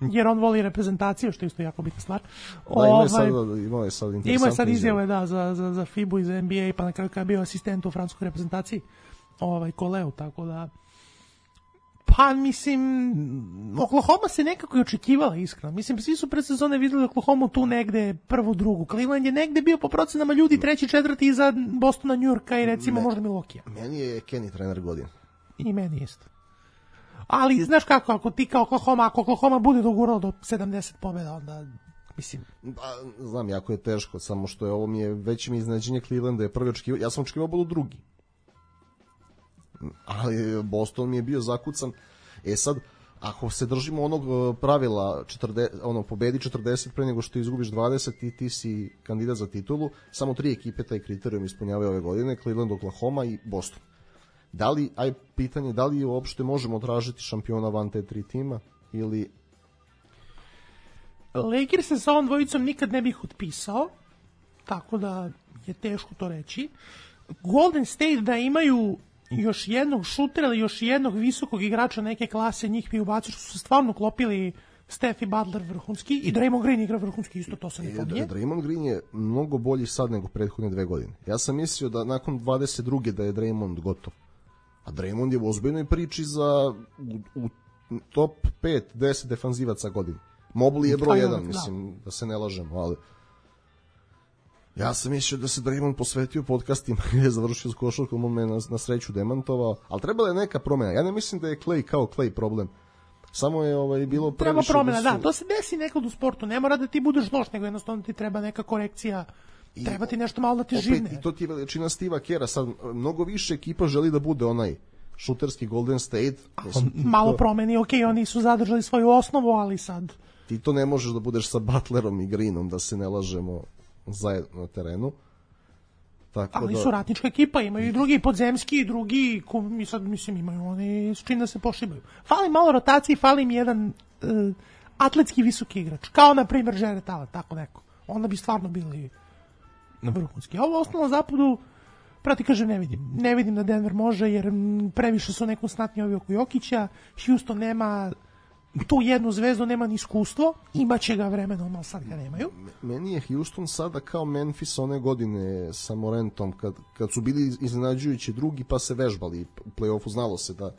jer on voli reprezentaciju, što je isto jako bitna stvar. Da, imao je sad, imao je sad interesantne imao je sad izjave, da, za, za, za F I B U i za N B A, pa na kraju kada je bio asistent u francuskoj reprezentaciji, ovaj, Koleu, tako da... Pa, mislim, Oklahoma se nekako i očekivala, iskreno. Mislim, svi su pred sezone videli Oklahoma tu negde prvu, drugu. Cleveland je negde bio po procenama ljudi treći, četvrti iza Bostona, New Yorka i recimo Me, možda Milwaukee. Meni je Kenny trener godine. I meni isto. Ali, znaš kako, ako ti kao Oklahoma, ako Oklahoma bude dogurao do sedamdeset pobjeda, onda, mislim... Pa, znam, jako je teško, samo što je ovo mi je veće mi iznenađenje Clevelanda je prvi očekivao, ja sam očekivao budu drugi. Ali Boston mi je bio zakucan. E sad, ako se držimo onog pravila četrdeset, ono, pobedi četrdeset pre nego što izgubiš dvadeset i ti si kandidat za titulu, samo tri ekipe taj kriterijum ispunjavaju ove godine, Cleveland, Oklahoma i Boston. Da li, aj pitanje, da li uopšte možemo tražiti šampiona van te tri tima ili... Lakers se sa ovom dvojicom nikad ne bih otpisao, tako da je teško to reći. Golden State da imaju još jednog šutera ili još jednog visokog igrača neke klase, njih bi ubacio, što su stvarno klopili Steph i Butler vrhunski i Draymond Green igra vrhunski, isto to se ne pominje. Draymond Green je mnogo bolji sad nego prethodne dve godine. Ja sam mislio da nakon dvadeset druge da je Draymond gotov. A Draymond je u ozbiljnoj priči za u, u top pet deset defanzivaca godine. Mobley je broj jedan, da. Mislim, da se ne lažemo, ali ja sam mislio da se Draymond posvetio podcastima i je završio s košarkom, on me na, na sreću demantovao, ali trebala je neka promjena. Ja ne mislim da je Clay kao Clay problem. Samo je ovaj bilo previše... Treba promjena, da, su... da, to se desi nekad u sportu. Ne mora da ti budeš loš, nego jednostavno ti treba neka korekcija. I, treba ti nešto malo da ti živne. I to ti je veličina Steva Kera. Sad, mnogo više ekipa želi da bude onaj šuterski Golden State. Mislim, malo to... promeni, ok, oni su zadržali svoju osnovu, ali sad... Ti to ne možeš da budeš sa Butlerom i Greenom, da se ne lažemo zajedno na terenu. Tako ali da... su ratnička ekipa, imaju i drugi podzemski, i drugi, i sad mislim imaju oni s čim da se pošibaju. Fali malo rotacije, fali im jedan uh, atletski visoki igrač, kao na primjer Jared Allen, tako neko. Onda bi stvarno bili vrhunski. A ovo ostalo na zapadu, prati kaže ne vidim. Ne vidim da Denver može, jer previše su nekonstantni ovi oko Jokića, Houston nema tu jednu zvezdu, nema ni iskustvo, imaće ga vremenom, ali sad ga nemaju. Meni je Houston sada kao Memphis one godine sa Morentom, kad, kad su bili iznenađujući drugi pa se vežbali u play-offu, znalo se da,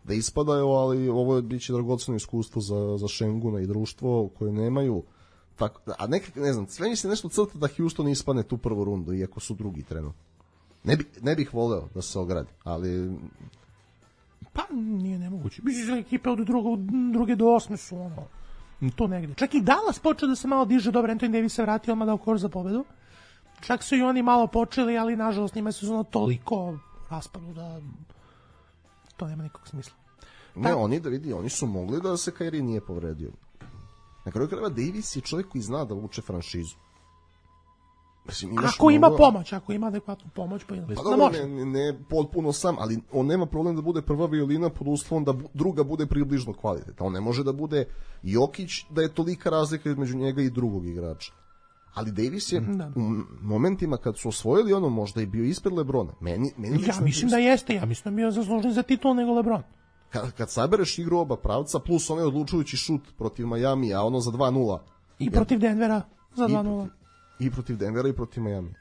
da ispadaju, ali ovo je biće dragoceno iskustvo za, za Šenguna i društvo koje nemaju. Tako, a nekak, ne znam, sve mi se nešto crta da Houston ispadne tu prvu rundu, iako su drugi trenutno. Ne, bi, ne bih voleo da se ogradi, ali... Pa nije nemoguće. Mislim, ekipe od drugo, druge do osme su ono, to negde. Čak i Dallas počeo da se malo diže, dobro, Anthony Davis se vratio, odmah dao koš za pobedu. Čak su i oni malo počeli, ali nažalost njima su ono toliko raspadu da to nema nikog smisla. Ne, Ta... oni da vidi, oni su mogli da se Kyrie nije povredio. Na kraju krajeva Davis je čovjek koji zna da vuče franšizu. Mislim, ako ima mnogo... pomoć, ako ima adekvatnu pomoć, pa, pa dobro, ne, ne, ne potpuno sam, ali on nema problem da bude prva violina pod uslovom da bu, druga bude približno kvalitetna. On ne može da bude Jokić, da je tolika razlika između njega i drugog igrača. Ali Davis je da. U momentima kad su osvojili ono možda i bio ispred Lebrona. Meni, meni ja mislim da jeste, ja mislim da bio zaslužen za titul nego Lebron. Kad, kad sabereš igru oba pravca, plus onaj odlučujući šut protiv Miami, a ono za dva nula. I protiv Denvera za dva nula. I protiv Denvera i protiv Miami.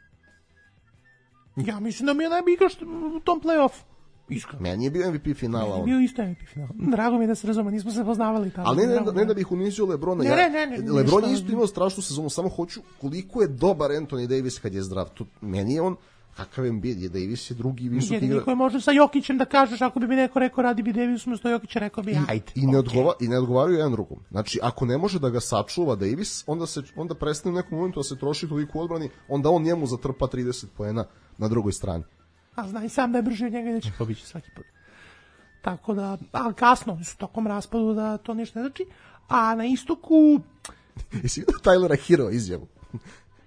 Ja mislim da mi je najbolji igrač u tom play-offu. Iskreno. Meni je bio M V P finala. Meni je bio isto M V P finala. Drago mi je da se razume, nismo se poznavali tada. Ali ne, ne, ne da bih unizio Lebrona. Ne, ja, ne, ne, ne, Lebron je isto imao strašnu sezonu, samo hoću koliko je dobar Anthony Davis kad je zdrav. Tu, meni je on, kakav je je Davis je drugi visoki igrač. Jedini koji može sa Jokićem da kažeš, ako bi mi neko rekao radi bi Davis umesto Jokića, rekao bi ajde. I, i, ne, odgova, i ne odgovaraju jedan drugom. Znači, ako ne može da ga sačuva Davis, onda, se, onda prestane u nekom momentu da se troši toliko u odbrani, onda on njemu zatrpa trideset poena na drugoj strani. A zna i sam da je brži od njega i da će pobići svaki put. Tako da, ali kasno, su tokom raspadu da to ništa ne znači. A na istoku... Jesi vidio Tylera Hero izjavu?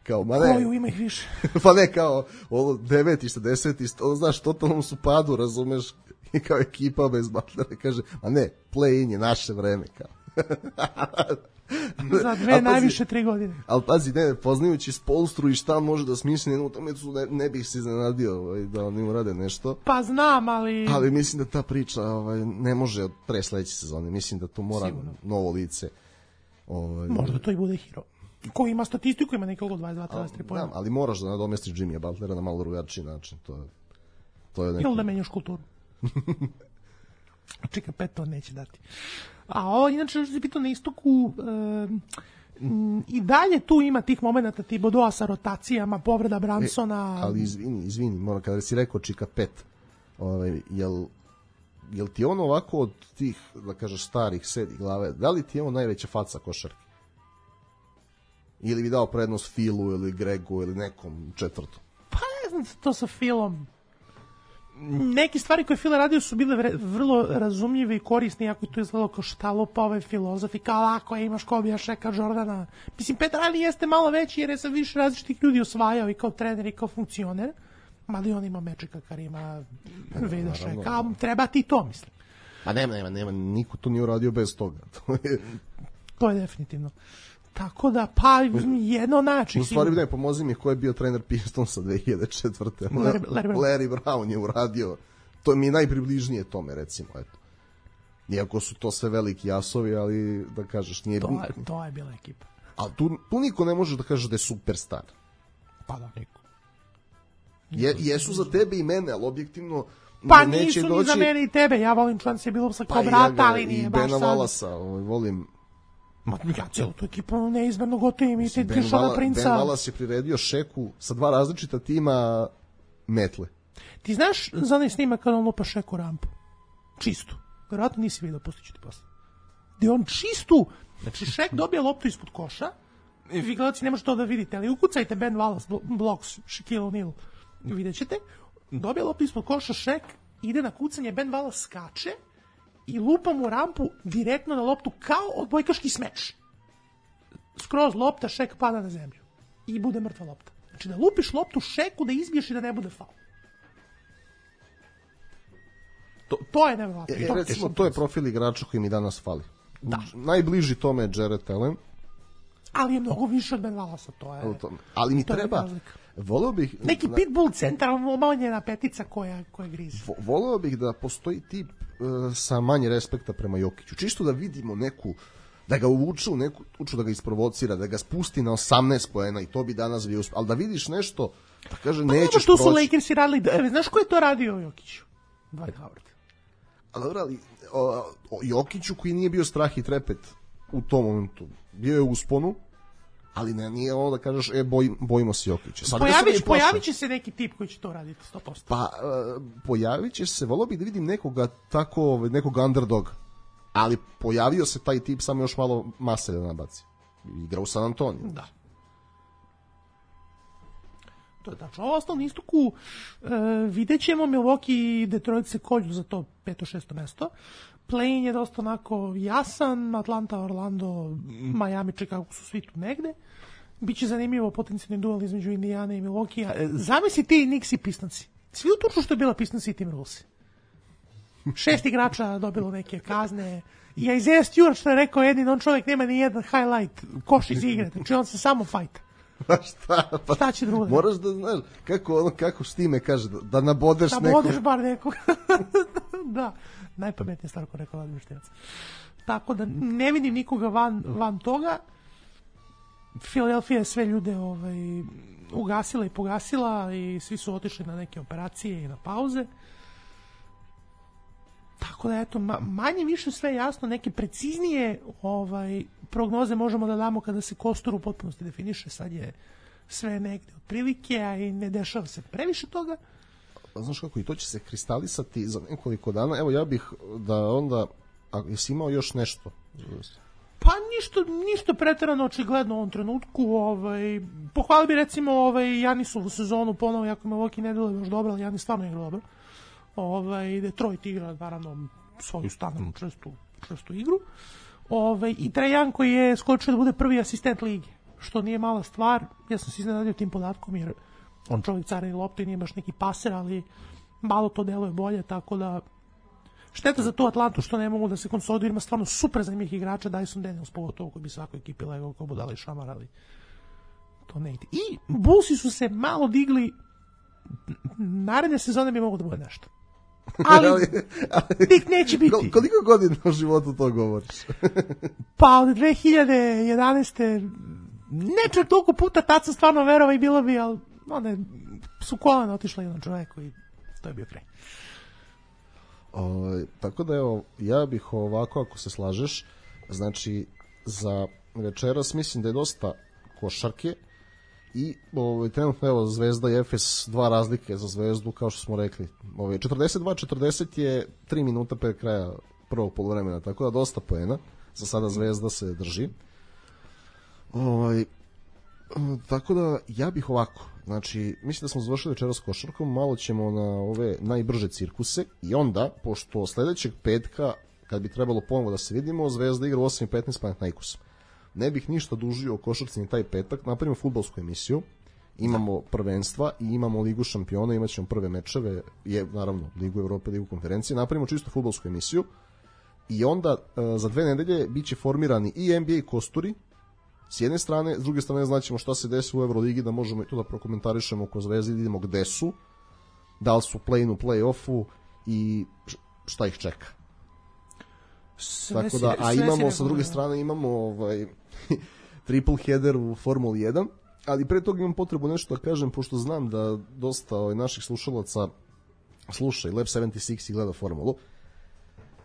Kao, ma ne... Koju ima ih više? Pa ne, kao, ovo devetište, desetište, ono, znaš, totalnom su padu, razumeš, i kao ekipa bez Butlera, kaže, ma ne, play-in je naše vreme, kao. Za dve najviše tri godine. Ali pazi, ne, poznajući Spolstru i šta može da smisli jednu utakmicu, ne, ne bih se iznenadio ovaj, da oni urade nešto. Pa znam, ali... Ali mislim da ta priča ovaj, ne može od pre sledeće sezone. Mislim da tu mora Sigurno. Novo lice. Ovaj, Možda to i bude Hero. Ko ima statistiku, ima nekako dvadeset dva dvadeset tri pojena. Ali moraš da nadomestiš Jimmya Butlera na malo drugačiji način. To je, to je neki... Ili da menjaš kulturu. Čeka, pet to neće dati. A ovo, inače, još se pitao na istoku, e, i dalje tu ima tih momenata Thibodeau sa rotacijama, povreda Bransona. E, ali izvini, izvini, moram, kada si rekao Čika pet, ovaj, jel, jel ti on ovako od tih, da kažeš, starih sedi glave, da li ti je on najveća faca košarke? Ili bi dao prednost Philu ili Gregu ili nekom četvrtom? Pa ne znam, to sa Philom. Neke stvari koje Phil radio su bile vre, vrlo razumljive i korisne, iako je to izgledalo kao štalupa ove filozofi, kao lako je, imaš Kobija, Šeka, Jordana. Mislim, Petar Ali jeste malo veći jer je sa više različitih ljudi osvajao i kao trener i kao funkcioner, mada i on ima Mečika, Karima, Veda, Šeka, treba ti to, mislim. A nema, nema, nema, niko to nije uradio bez toga. To je, to je definitivno. Tako da, pa, jedno način. U stvari, ne, pomozi mi ko je bio trener Pistonsa dve hiljade četvrte. Larry, Larry, Brown. Larry Brown je uradio. To mi je najpribližnije tome, recimo, eto. Iako su to sve veliki jasovi, ali, da kažeš, nije... To je, to je bila ekipa. Ali tu, tu niko ne može da kaže da je superstar. Pa da, niko. Je, jesu za tebe i mene, ali objektivno... Pa nisu doći... ni za mene i tebe. Ja volim Chance Billupsa kao pa brata, ja ali nije baš sad. I Bena Wallasa, volim... Ma, ja cijelu tu ekipu neizmerno gotovim i te Šona Princa. Ben Wallace je priredio Šeku sa dva različita tima metle. Ti znaš za onaj snimak kada on lupa Šeku rampu? Čistu. Vjerojatno nisi vidio, pustit ću ti posle. Gde on čistu, znači Šek dobija loptu ispod koša, vi gledalci ne možete to da vidite, ali ukucajte Ben Wallace, blocks, Shaquille O'Neal, vidjet ćete, dobija loptu ispod koša, Šek ide na kucanje, Ben Wallace skače, i lupa mu rampu direktno na loptu kao odbojkaški smeč. Skroz lopta, Šek pada na zemlju. I bude mrtva lopta. Znači da lupiš loptu šeku, da izbiješ i da ne bude faul. To, to je nevjerovatno. E, recimo, to je profil igrača koji mi danas fali. Da. Najbliži tome je Jared Allen. Ali je mnogo više od Ben Wallace, to je... Ali mi treba... Voleo bih... Neki na, pitbull centar, omanjena petica koja, koja grize. Vo, voleo bih da postoji tip uh, sa manje respekta prema Jokiću. Čisto da vidimo neku... Da ga uvuče u neku uču, da ga isprovocira, da ga spusti na osamnaest poena i to bi danas bio uspio. Ali da vidiš nešto, pa kaže, pa nećeš proći. što su Lakersi radili... Znaš ko je to radio Jokiću? Dwight Howard. Ali dobro, ali o, o Jokiću koji nije bio strah i trepet u tom momentu. Bio je u usponu, ali ne, nije ovo da kažeš, e, boj, bojimo se Jokića. Sad Pojavić, pojavit će se neki tip koji će to raditi sto posto. Pa, uh, pojavit će se, volio bih da vidim nekoga tako, nekog underdoga. Ali pojavio se taj tip, samo još malo mase da nabaci. Igra u San Antonio. Da. To je tačno. Ovo osnovno istoku e, vidjet ćemo, Milwaukee i Detroit se kolju za to peto šesto mesto. Play-in je dosta onako jasan, Atlanta, Orlando, Miami, Chicago su svi tu negde. Biće zanimljivo potencijalni duel između Indijana i Milwaukee. E, zamisli ti Knicks i Pistons. Svi utuču što je bila Pistons i Timberwolves. Šest igrača dobilo neke kazne. I Isaiah Stewart što je rekao, jedin, on čovjek nema ni jedan highlight, koš iz igre, znači on se samo fajta. Pa šta? Pa šta će drugo? Moraš da znaš, kako, ono, kako Štime kaže, da, da nabodeš nekog. Da nabodeš bar nekog. Da, najpametnije stvar ko rekao Vladimir Štimac. Tako da ne vidim nikoga van, van toga. Philadelphia je sve ljude ovaj, ugasila i pogasila i svi su otišli na neke operacije i na pauze. Tako da eto, manje više sve jasno, neke preciznije ovaj, prognoze možemo da damo kada se kostur u potpunosti definiše, sad je sve negde otprilike, a i ne dešava se previše toga. Znaš kako, i to će se kristalisati za nekoliko dana, evo ja bih da onda, a jesi imao još nešto? Pa ništa, ništa preterano očigledno u ovom trenutku, ovaj, pohvali bi recimo ovaj, Janisovu sezonu ponovo, jako me Milwaukee ne bilo još dobro, ali Janis stvarno igra dobro. Ovaj, Detroit igra naravno svoju standardnu čestu, čestu igru. Ovaj, i Trae Young koji je skočio da bude prvi asistent lige, što nije mala stvar. Ja sam se iznenadio tim podatkom jer on čovjek careni lopte, nije baš neki paser, ali malo to deluje bolje, tako da šteta za tu Atlantu što ne mogu da se konsoliduju, ima stvarno super zanimljivih igrača, Dyson Daniels pogotovo koji bi svakoj ekipi legao kao budala i šamar, ali to ne ide. I Bullsi su se malo digli, naredne sezone bi mogu da bude nešto. Ali, ali, ali tih neće biti. Koliko godina u životu to govoriš? Pa od dve hiljade jedanaeste ne čak toliko puta, tad sam stvarno verovao i bilo bi, ali onda su kolena otišla jedan čovjek i to je bio kraj. O, tako da evo, ja bih ovako, ako se slažeš, znači za večeras mislim da je dosta košarke i ovaj, trenutno evo Zvezda i Efes, dva razlike za Zvezdu kao što smo rekli. Ovaj, četrdeset dva četrdeset je tri minuta pre kraja prvog poluvremena, tako da dosta poena. Za sada Zvezda se drži. Ovaj, tako da ja bih ovako, znači mislim da smo završili večeras košarkom, malo ćemo na ove najbrže cirkuse i onda, pošto sledećeg petka kad bi trebalo ponovo da se vidimo, Zvezda igra u osam i petnaest Panathinaikosom. Ne bih ništa dužio o košarci ni taj petak, napravimo fudbalsku emisiju, imamo prvenstva i imamo Ligu šampiona, imat ćemo prve mečeve, je, naravno Ligu Evrope, Ligu konferencije, napravimo čisto fudbalsku emisiju i onda e, za dve nedelje bit će formirani i N B A kosturi, s jedne strane, s druge strane znaćemo šta se desi u Euroligi, da možemo i to da prokomentarišemo oko Zvezde, da vidimo gde su, da li su play-in u play-offu i šta ih čeka. Sve Tako da, a imamo sa druge strane imamo ovaj triple header u Formuli jedan, ali pre toga imam potrebu nešto da kažem, pošto znam da dosta ovaj, naših slušalaca sluša i Lab sedamdeset šest i gleda Formulu.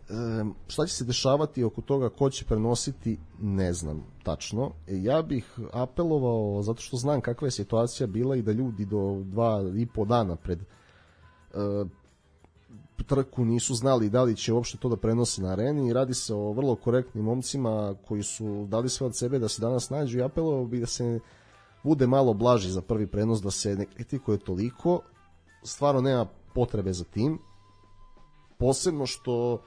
E, šta će se dešavati oko toga, ko će prenositi, ne znam tačno. E, ja bih apelovao, zato što znam kakva je situacija bila i da ljudi do dva i po dana pred e, trku nisu znali da li će uopšte to da prenose na areni i radi se o vrlo korektnim momcima koji su dali sve od sebe da se danas nađu i apelovao bi da se bude malo blaži za prvi prenos, da se ne kritikuje toliko, stvarno nema potrebe za tim, posebno što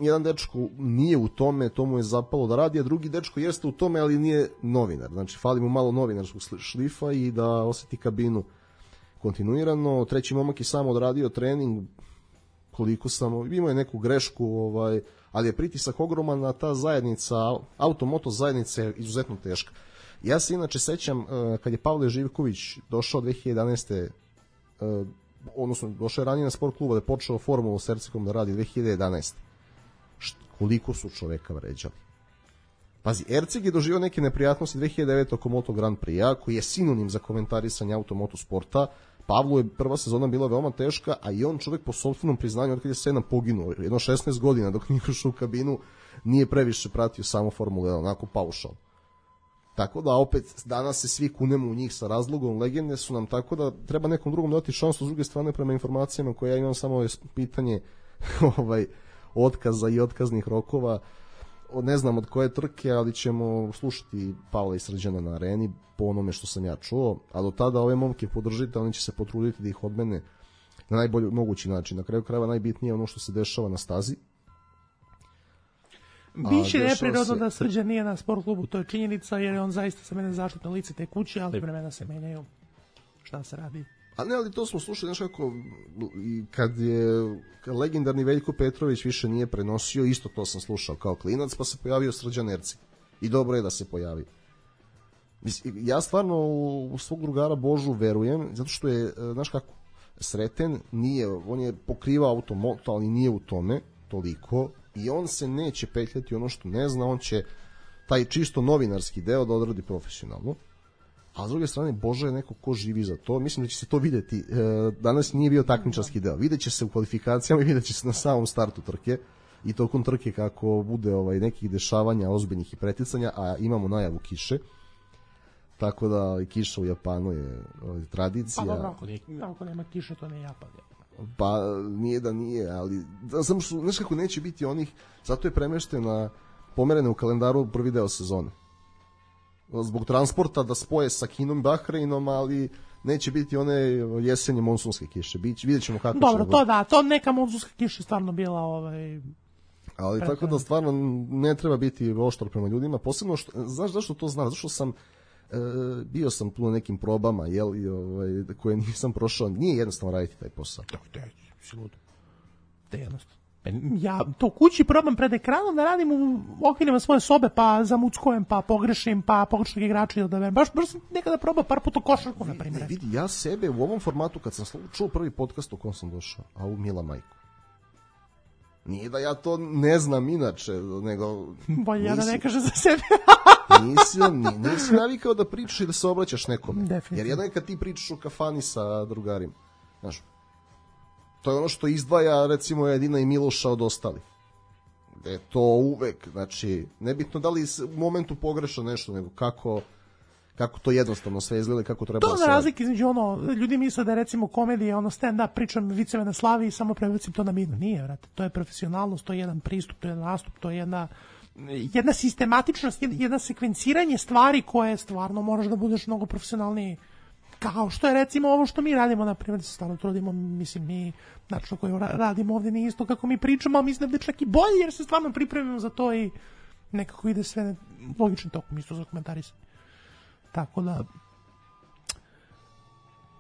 jedan dečko nije u tome, to mu je zapalo da radi, a drugi dečko jeste u tome, ali nije novinar. Znači, fali mu malo novinarskog šlifa i da osjeti kabinu kontinuirano. Treći momak je samo odradio trening, koliko sam, imao je neku grešku, ovaj, ali je pritisak ogroman, a ta zajednica, automoto zajednica je izuzetno teška. Ja se inače sećam, kad je Pavle Živković došao dve hiljade jedanaeste odnosno došao je ranije na sport kluba da je počeo formulu s Ercegom da radi dve hiljade jedanaeste Št, koliko su čoveka vređali. Pazi, Erceg je doživio neke neprijatnosti dve hiljade devete oko Moto Grand Prix-a, koji je sinonim za komentarisanje automoto sporta. Pavlu je prva sezona bila veoma teška, a i on čovek po sopstvenom priznanju od kada je sedam poginuo, jedno šesnaest godina dok nije ušao u kabinu, nije previše pratio samo Formulu jedan, onako paušal. Tako da opet danas se svi kunemo u njih sa razlogom, legende su nam, tako da treba nekom drugom dati šansu. S druge strane, prema informacijama koje ja imam, samo je pitanje ovaj, otkaza i otkaznih rokova. Ne znam od koje trke, ali ćemo slušati Pavla i Srđana na areni po onome što sam ja čuo, a do tada ove momke podržite, oni će se potruditi da ih odmene na najbolji mogući način. Na kraju krajeva najbitnije je ono što se dešava na stazi. Biće neprirodno se... da Srđan nije na sport klubu, to je činjenica, jer je on zaista sa mene zaštitno lice te kuće, ali vremena se menjaju. Šta se radi? A ne, ali to smo slušali, znaš kako, kad je kad legendarni Veljko Petrović više nije prenosio, isto to sam slušao kao klinac, pa se pojavio Srđan Erceg. I dobro je da se pojavi. Ja stvarno u svog drugara Božu verujem, zato što je, znaš kako, Sreten nije, on je pokrivao automoto, ali nije u tome toliko, i on se neće petljati ono što ne zna, on će taj čisto novinarski deo da odradi profesionalno. A s druge strane, Boža je neko ko živi za to. Mislim da će se to videti. Danas nije bio takmičarski deo. Vidjet će se u kvalifikacijama i vidjet će se na samom startu trke i tokom trke kako bude ovaj, nekih dešavanja ozbiljnih i preticanja, a imamo najavu kiše. Tako da i kiša u Japanu je ovaj, tradicija. Pa dobro, ako, nije, ako nema kiše, to ne Japan. Pa nije da nije, ali znam što, znaš kako neće biti onih, zato je premeštena, pomerena u kalendaru prvi deo sezone. Zbog transporta da spoje sa Kinom i Bahreinom, ali neće biti one jesenje monsunske kiše. Biće, vidjet ćemo kako. Dobro, to da, to neka monsunska kiša stvarno bila ovaj ali pretredno. Tako da stvarno ne treba biti oštar prema ljudima, posebno što, znaš zašto to znam, zašto sam e, bio sam tu na nekim probama, jel, i ovaj koje nisam prošao, nije jednostavno raditi taj posao. Tako te, si lud. Te jednostavno. Ja to kući probam pred ekranom da radim u okvirima svoje sobe, pa zamuckujem, pa pogrešim, pa pogrešnog igrača da dajem. Baš, baš sam nekada probao par puta košarku, na primjer. Ne, vidi, ja sebe u ovom formatu, kad sam čuo prvi podcast u kom sam došao, a u Mila majku. Nije da ja to ne znam inače, nego... Bolje ja da ne kažem za sebe. nisi, nisi navikao da pričaš i da se obraćaš nekome. Definitivno. Jer jedno je kad ti pričaš u kafani sa drugarima. Znaš, to je ono što izdvaja recimo Edina i Miloša od ostalih. E to uvek, znači, nebitno da li u momentu pogreša nešto, nego kako, kako to jednostavno sve izgleda, kako treba to da se na razlike između ono, ljudi misle da je recimo komedija, ono stand-up, pričam viceve na slavi i samo prebacim to na mirno. Nije, vrate, to je profesionalnost, to je jedan pristup, to je jedan nastup, to je jedna, jedna sistematičnost, jedna sekvenciranje stvari koje stvarno moraš da budeš mnogo profesionalniji. Kao što je recimo ovo što mi radimo, na primjer, da se stvarno trudimo, mislim, mi način koji radimo ovdje nije isto kako mi pričamo, ali mislim da je čak i bolje jer se stvarno pripremimo za to i nekako ide sve logičnim tokom, isto za komentarisanje. Tako da,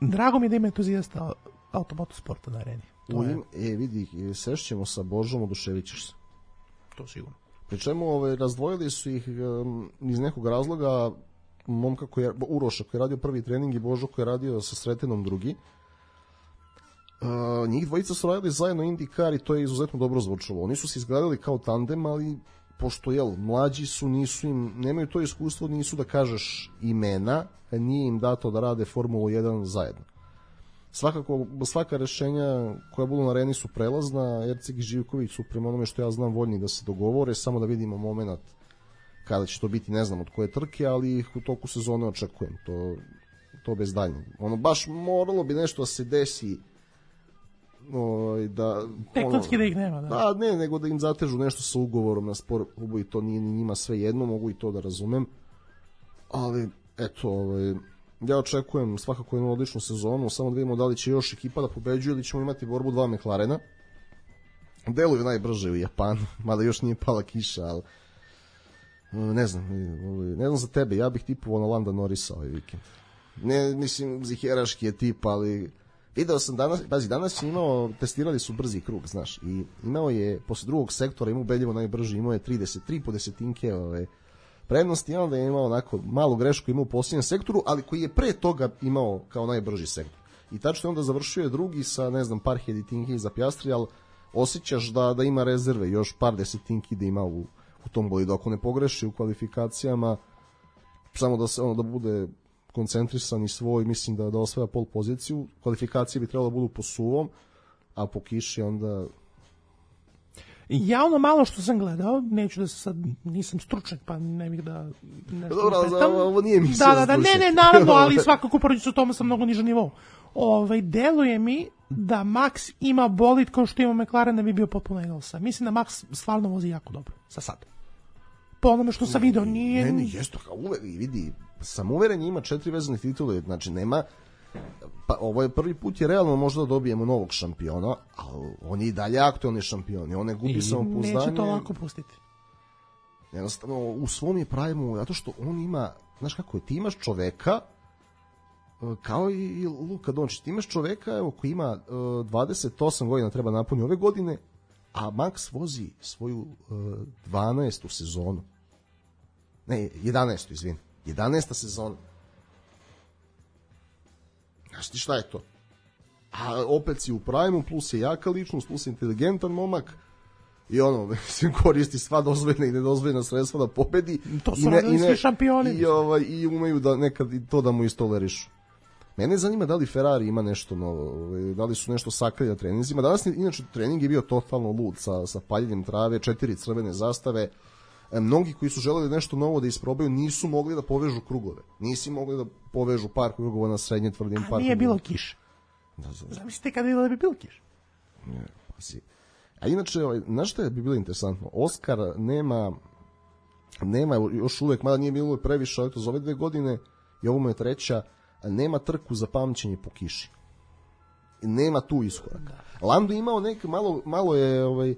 drago mi da ima entuzijasta automotosporta na areni. To je... E, vidi, sešćemo sa Božom, oduševit ćeš se. To sigurno. Pri čemu ovaj, razdvojili su ih um, iz nekog razloga, momka koji je, Uroša koji je radio prvi trening i Božo koji je radio sa Sretenom drugi. Uh, njih dvojica su radili zajedno IndyCar i to je izuzetno dobro zvučalo. Oni su se izgledali kao tandem, ali pošto jel, mlađi su, nisu im, nemaju to iskustvo, nisu da kažeš imena, nije im dato da rade Formulu jedan zajedno. Svakako, svaka rešenja koja budu na areni su prelazna, Erceg i Živković su prema onome što ja znam voljni da se dogovore, samo da vidimo moment kada će to biti, ne znam od koje trke, ali ih u toku sezone očekujem, to, to bez daljnjeg. Ono, baš moralo bi nešto da se desi, o, da... Tektonski da ih nema, da. Da, ne, nego da im zatežu nešto sa ugovorom na sport klubu i to nije ni njima sve jedno, mogu i to da razumem, ali, eto, ovaj, ja očekujem svakako jednu odličnu sezonu, samo da vidimo da li će još ekipa da pobeđuje ili ćemo imati borbu dva McLarena. deluju najbrže u Japanu, mada još nije pala kiša, ali ne znam, ne znam za tebe, ja bih tipovao na Landa Norrisa ovaj vikend. Ne, mislim, ziheraški je tip, ali video sam danas, pazi, danas je imao, testirali su brzi krug, znaš, i imao je, posle drugog sektora, imao ubedljivo najbrži, imao je trideset tri po desetinke ove, prednosti, i onda je imao onako malu grešku, imao u posljednjem sektoru, ali koji je pre toga imao kao najbrži sektor. I tačno onda završio je drugi sa, ne znam, par heditinki za Piastri, ali osjećaš da, da ima rezerve, još par desetinki da ima u, u tom bolidu. Ako ne pogreši u kvalifikacijama, samo da se ono da bude koncentrisan i svoj, mislim da, da osvaja pol poziciju, kvalifikacije bi trebalo da budu po suvom, a po kiši onda... Ja ono malo što sam gledao, neću da se sad, nisam stručnjak, pa ne bih da nešto Dobro, upetam. ovo nije mi da, da, da, ne, ne, naravno, ali svakako poređu se u tome sam mnogo niža nivou. Ovaj, deluje mi da Max ima bolid kao što ima McLaren da bi bio potpuno Engelsa. Mislim da Max stvarno vozi jako dobro, za sad. Po onome što sam video, nije... Ne, ne, jesto, kao uvek, vidi, sam uveren ima četiri vezane titule, znači nema... Pa ovo je prvi put je realno možda da dobijemo novog šampiona, ali on je i dalje aktualni šampion i on ne gubi samopouzdanje. Neće to lako pustiti. Jednostavno, u svom je pravimu, zato što on ima, znaš kako je, ti imaš čoveka, kao i Luka Dončić, ti imaš čoveka evo, koji ima uh, dvadeset osam godina, treba napuni ove godine, a Max vozi svoju uh, dvanaestu sezonu. Ne, jedanaestu, izvini. jedanaesta sezona. Znaš ti šta je to? A opet si u primu, plus je jaka ličnost, plus je inteligentan momak i ono, mislim, koristi sva dozvoljena i nedozvoljena sredstva da pobedi. To su radili svi šampioni. I, ovaj, i umeju da nekad i to da mu istolerišu. Mene zanima da li Ferrari ima nešto novo, da li su nešto sakrili na treninzima. Danas, inače, trening je bio totalno lud sa, sa paljenjem trave, četiri crvene zastave. E, mnogi koji su želeli nešto novo da isprobaju nisu mogli da povežu krugove. Nisi mogli da povežu par krugova na srednje tvrdim par. A nije bilo kiše. Da, da. Zamislite kada je bilo da bi bilo kiše. Ne, pa si. A inače, ovaj, znaš što je bi bilo interesantno? Oskar nema, nema još uvek, mada nije bilo previše, eto, za ove dve godine i ovo mu je treća, nema trku za pamćenje po kiši. Nema tu iskoraka. Lando imao nek, malo, malo je, ovaj,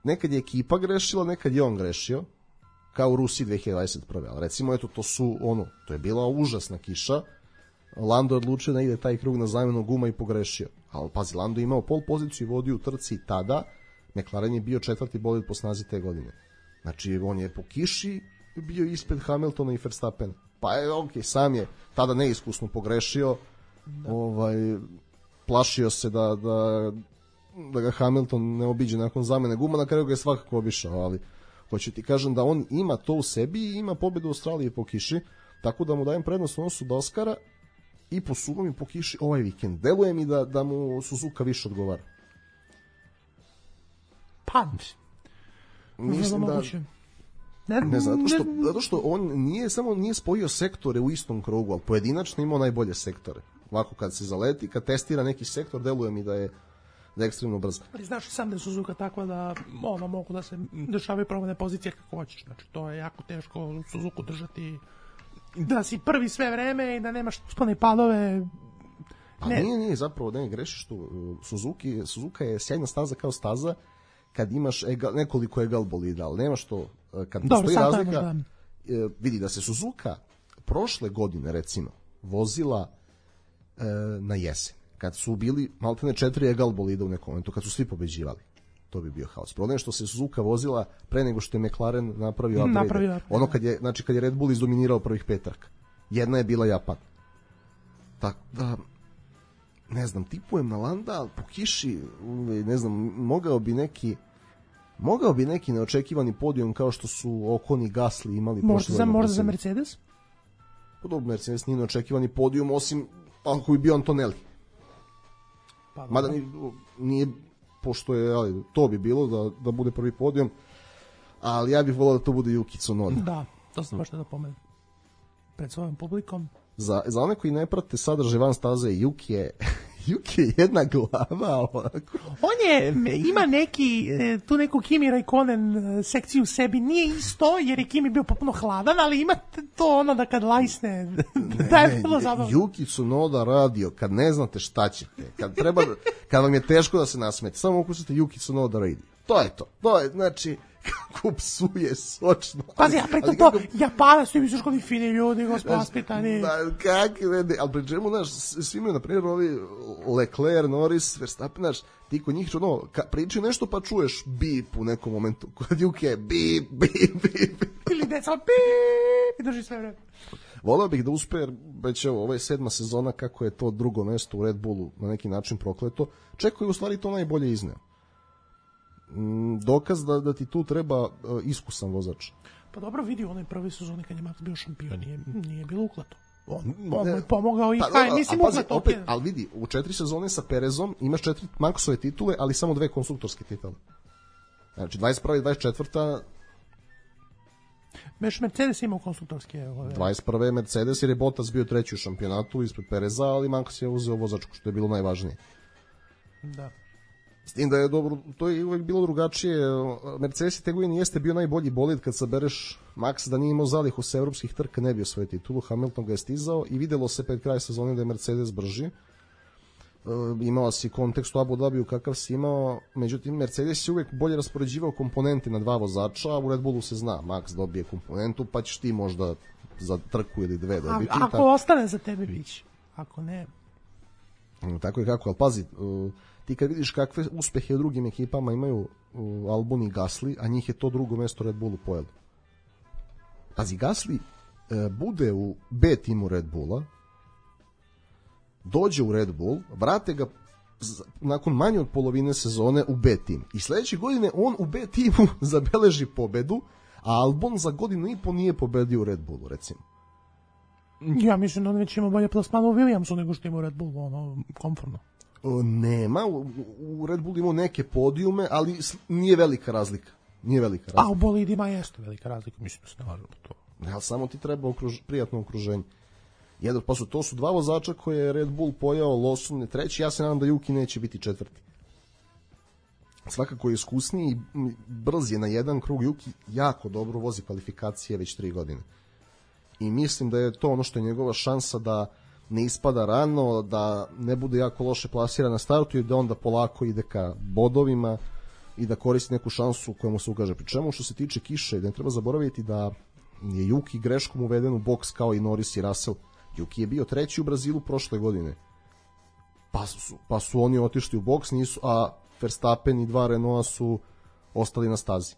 nekad je ekipa grešila, nekad je on grešio, kao u Rusiji dve hiljade dvadeset prve. Ali recimo, eto, to su, ono, to je bila užasna kiša, Lando je odlučio da ide taj krug na zamenu guma i pogrešio. Ali pazi, Lando je imao pol poziciju i vodio u trci tada, McLaren je bio četvrti bolid po snazi te godine. Znači, on je po kiši bio ispred Hamiltona i Verstappena. Pa je, ok, sam je tada neiskusno pogrešio, da. Ovaj, plašio se da, da, da ga Hamilton ne obiđe nakon zamene guma, na kraju ga je svakako obišao, ali hoću ti kažem da on ima to u sebi i ima pobedu u Australiji po kiši, tako da mu dajem prednost u odnosu do Oskara i po suvom i po kiši ovaj vikend. Deluje mi da, da mu Suzuka više odgovara. Pa, mislim da... Ne, ne zato što, zato što on nije samo nije spojio sektore u istom krugu, ali pojedinačno imao najbolje sektore. Ovako kad se zaleti, kad testira neki sektor, deluje mi da je, da je ekstremno brzo. Ali znaš sam da je Suzuka takva da ono, mogu da se dešavaju promene pozicije kako hoćeš. Znači, to je jako teško Suzuku držati da si prvi sve vreme i da nemaš spone padove. Pa ne. nije, nije, zapravo ne grešiš tu. Suzuki, Suzuka je sjajna staza kao staza kad imaš egal, nekoliko egal bolida, ali nemaš to kad postoji razlika. Da. E, vidi da se Suzuka prošle godine recimo vozila e, na jesen, kad su bili maltene četiri egal bolida u nekom momentu, kad su svi pobeđivali. To bi bio haos. Problem je što se Suzuka vozila pre nego što je McLaren napravio upgrade. Napravio, ono kad je, znači kad je Red Bull izdominirao prvih pet trka. Jedna je bila Japan. Tako da ne znam, tipujem na Landa, ali po kiši, ne znam, mogao bi neki mogao bi neki neočekivani podijum kao što su Ocon i Gasly imali. Možda za, možda za Mercedes? Podobno, Mercedes nije neočekivani podijum, osim ako bi bio Antonelli. Pa, mada nije, nije, pošto je, ali, to bi bilo da, da bude prvi podijum, ali ja bih volao da to bude Yuki Tsunoda. Da, to sam baš da pomenem pred svojom publikom. Za, za one koji ne prate sadržaj van staze, Yuki je, Yuki je jedna glava. Onako. On je, ima neki, tu neku Kimi Raikkonen sekciju u sebi, nije isto, jer je Kimi bio potpuno hladan, ali ima to ono da kad lajsne, ne, da je vrlo zabavno. Yuki Tsunoda radio, kad ne znate šta ćete, kad, treba, kad vam je teško da se nasmete, samo ukusite Yuki Tsunoda radio. To je to. To je, znači, kako psuje sočno. Pazi, ja pritom to, Japanac, ti misliš kod i fini ljudi, gospod vaspitani. Da, kakve vede, ali pri čemu, znaš, svi imaju, na primjer, ovi Leclerc, Norris, Verstappen, znaš, ti kod njih, ono, priči nešto pa čuješ bip u nekom momentu, kod Juke, bip, bip, bip. Ili deca, bip, i drži sve vreme. Voleo bih da uspe, jer već evo, ovo je sedma sezona, kako je to drugo mesto u Red Bullu na neki način prokleto, čekaju u stvari to najbolje izneo. Dokaz da, da ti tu treba uh, iskusan vozač. Pa dobro, vidi, u onoj prvoj sezoni kad je Max bio šampion, nije, nije bilo uklato. On, on je pomogao i pa, kaj, mislim uklato. Opet, ali vidi, u četiri sezone sa Perezom imaš četiri Maxove titule, ali samo dve konstruktorske titule. Znači, dvadeset prva i dvadeset četvrta Meš Mercedes imao konstruktorske. Ove. dvadeset prva Mercedes, jer je Bottas bio treći u šampionatu ispred Pereza, ali Max je uzeo vozačku, što je bilo najvažnije. Da. S tim da je dobro, to je uvek bilo drugačije. Mercedes te godine jeste bio najbolji bolid kad sabereš Max, da nije imao zalihu sa evropskih trka, ne bio svoju titulu. Hamilton ga je stizao i videlo se pred kraj sezone da je Mercedes brži. E, imao si kontekst u Abu Dhabiju kakav si imao, međutim Mercedes je uvek bolje raspoređivao komponente na dva vozača, a u Red Bullu se zna, Max dobije komponentu, pa ćeš ti možda za trku ili dve dobiti. A, ako tako ostane za tebe bić, ako ne... Tako je kako, ali pazi, uh, ti kad vidiš kakve uspehe u drugim ekipama imaju uh, Albon i Gasly, a njih je to drugo mesto Red Bullu pojelo. Pazi, Gasly uh, bude u B timu Red Bulla, dođe u Red Bull, vrate ga z- nakon manje od polovine sezone u B tim. I sledeće godine on u B timu zabeleži pobedu, a Albon za godinu i po nije pobedio u Red Bullu, recimo. Ja mislim da on već ima bolje plasmana u Williamsu nego što ima u Red Bullu, ono, komfortno. O, nema, u, u Red Bullu imao neke podijume, ali nije velika razlika. Nije velika razlika. A u bolidima jeste velika razlika, mislim da se ne lažemo to. Ja, samo ti treba okruž, prijatno okruženje. Jedan, pa su, to su dva vozača koje je Red Bull pojao, Lawson je treći, ja se nadam da Yuki neće biti četvrti. Svakako je iskusniji i brz je na jedan krug. Yuki jako dobro vozi kvalifikacije već tri godine. I mislim da je to ono što je njegova šansa da ne ispada rano, da ne bude jako loše plasiran na startu i da onda polako ide ka bodovima i da koristi neku šansu koja mu se ukaže. Pri čemu što se tiče kiše, da ne treba zaboraviti da je Yuki greškom uveden u boks kao i Norris i Russell. Yuki je bio treći u Brazilu prošle godine. Pa su, pa su oni otišli u boks, nisu, a Verstappen i dva Renaulta su ostali na stazi.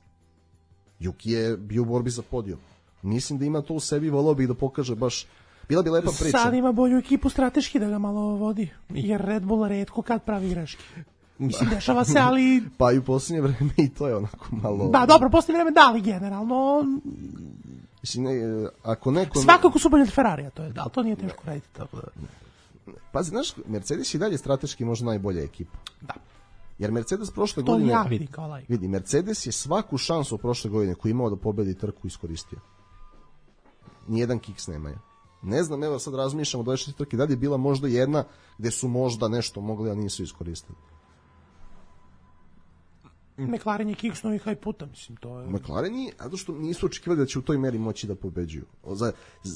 Yuki je bio u borbi za podijum. Mislim da ima to u sebi, volao bih da pokaže baš, bila bi lepa priča. Sad ima bolju ekipu strateški da ga malo vodi, jer Red Bull retko kad pravi greške. Mislim, dešava se, ali... Pa i u posljednje vreme i to je onako malo... Da, dobro, posljednje vreme da, ali generalno... Mislim, ne, ako neko... Svakako su bolje od Ferrarija, to je, da, to nije teško raditi. Tako da... Pazi, znaš, Mercedes je dalje strateški možda najbolja ekipa. Da. Jer Mercedes prošle to godine... To ja vidim kao lajk. Vidi, Mercedes je svaku šansu prošle godine koju imao da pobedi trku iskoristio. Nijedan kiks nemaju. Ne znam, evo sad razmišljamo do dvadeset trke, da li je bila možda jedna gde su možda nešto mogli, a nisu iskoristili. McLaren je kiksnuo i haj puta, mislim, to je... McLaren je, zato što nisu očekivali da će u toj meri moći da pobeđuju. Za,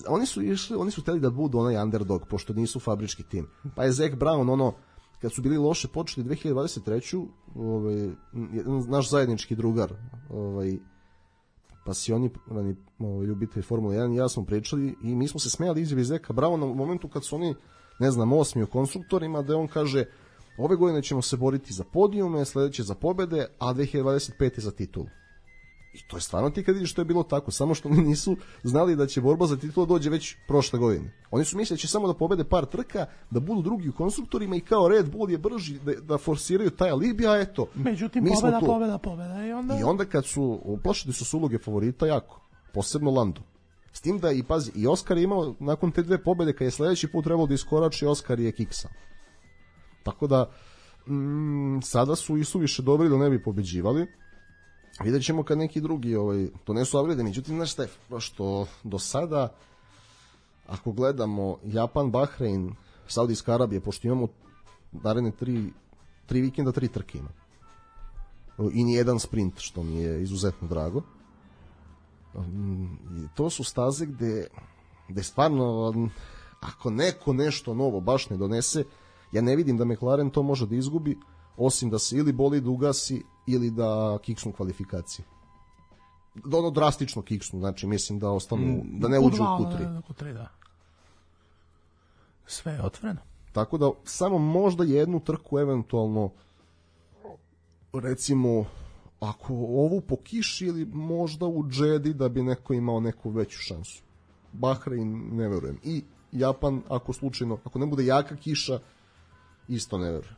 oni su išli, oni su hteli da budu onaj underdog, pošto nisu fabrički tim. Pa je Zach Brown, ono, kad su bili loše počeli dve hiljade dvadeset treće. Ovaj, naš zajednički drugar, ovaj, pasioni, ovaj, ljubitelj Formule jedan i ja smo pričali i mi smo se smejali izjavi Zeka Browna u momentu kad su oni, ne znam, osmi u konstruktorima, da on kaže ove godine ćemo se boriti za podijume, sledeće za pobede, a dve hiljade dvadeset pete za titulu. I to je stvarno ti kad vidiš što je bilo tako, samo što oni nisu znali da će borba za titulu dođe već prošle godine. Oni su mislili da će samo da pobede par trka, da budu drugi u konstruktorima i kao Red Bull je brži da, da forsiraju taj alibi, a eto. Međutim, pobeda, pobeda, pobeda. I onda... I onda kad su, uplašili su se uloge favorita jako, posebno Lando. S tim da i pazi, i Oskar je imao nakon te dve pobede, kad je sledeći put trebalo da iskorači, Oskar je kiksa. Tako da, mm, sada su i suviše dobri da ne bi pobeđivali. Vidjet ćemo kad neki drugi ovaj, to ne su avrede. Međutim, znaš šta je, što do sada, ako gledamo Japan, Bahrein, Saudijska Arabija, pošto imamo naredne tri, tri vikenda, tri trke ima. I nijedan sprint, što mi je izuzetno drago. To su staze gde, gde stvarno, ako neko nešto novo baš ne donese, ja ne vidim da McLaren to može da izgubi. osim da se ili bolid ugasi ili da kiksnu kvalifikacije. Da ono drastično kiksnu, znači mislim da ostanu, da ne uđu u Q tri. Da, Q tri, da. Sve je otvoreno. Tako da samo možda jednu trku eventualno recimo ako ovu po kiši ili možda u Džedi da bi neko imao neku veću šansu. Bahrein ne verujem. I Japan ako slučajno, ako ne bude jaka kiša, isto ne verujem.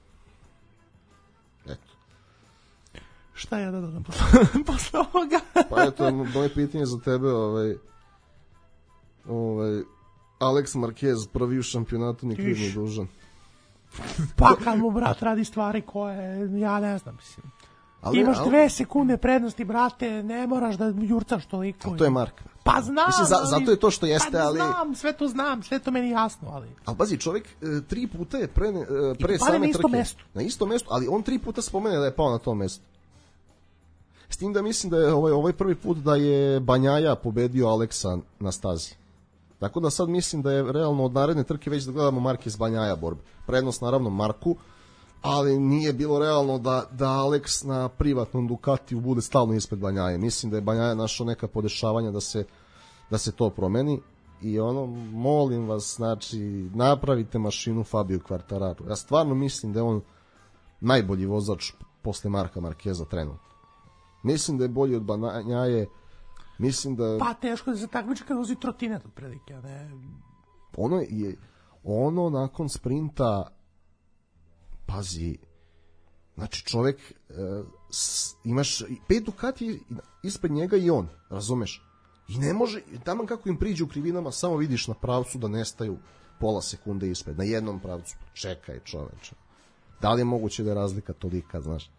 Eto. Šta ja da dodam posle, posle ovoga? Pa eto, moje pitanje za tebe, ovaj, ovaj, Alex Marquez prvi u šampionatu, ni kriv ni dužan. Pa kad mu brat radi stvari koje, ja ne znam, mislim. Ali, imaš ali, dve sekunde prednosti, brate, ne moraš da jurcaš toliko. to je Mark. Pa znam, mislim, za, ali, zato je to što jeste, pa ali... znam, sve to znam, sve to meni jasno, ali... Ali pazi, čovjek e, tri puta je pre, e, pre same same na trke. mestu. Na istom mestu, ali on tri puta spomene da je pao na tom mestu. S tim da mislim da je ovaj, ovaj prvi put da je Banjaja pobedio Aleksa na stazi. Tako da sad mislim da je realno od naredne trke već da gledamo Marquez Banjaja borbe. Prednost naravno Marku, ali nije bilo realno da, da Alex na privatnom Ducatiju bude stalno ispred Banjaje. Mislim da je Banjaja našao neka podešavanja da se, da se to promeni i ono, molim vas, znači, napravite mašinu Fabio Quartararo. Ja stvarno mislim da je on najbolji vozač posle Marka Markeza trenutno. Mislim da je bolji od Banjaje, mislim da... Pa teško da se takmiči kad vozi trotinet od prilike, ne... Ono je, ono nakon sprinta, pazi, znači čovek, e, s, imaš pet Ducati ispred njega i on, razumeš? I ne može, tamo kako im priđu u krivinama, samo vidiš na pravcu da nestaju pola sekunde ispred, na jednom pravcu. Čekaj, čoveče. Da li je moguće da je razlika tolika, znaš?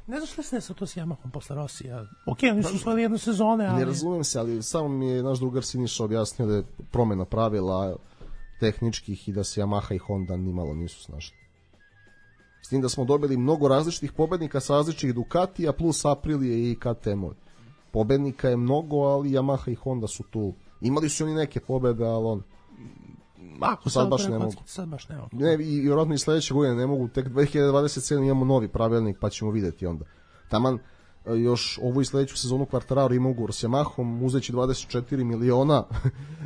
Ne znaš li se desao to s Yamahom posle Rosija? Ok, oni su usvojili jednu sezone, ali... Ne razumem se, ali samo mi je naš drugar Siniša objasnio da je promena pravila tehničkih i da se Yamaha i Honda nimalo nisu snašli. S tim da smo dobili mnogo različitih pobednika sa različitih Ducatija plus Aprilije i K T M-ovi. Pobednika je mnogo, ali Yamaha i Honda su tu. Imali su oni neke pobede, ali on... Ako sad baš ne mogu. Sad baš ne mogu. Ne, i vjerojatno i sledeće godine ne mogu. Tek dve hiljade dvadeset sedme imamo novi pravilnik, pa ćemo videti onda. Taman još ovu i sledeću sezonu Quartararo ima ugovor s Yamahom, uzeći dvadeset četiri miliona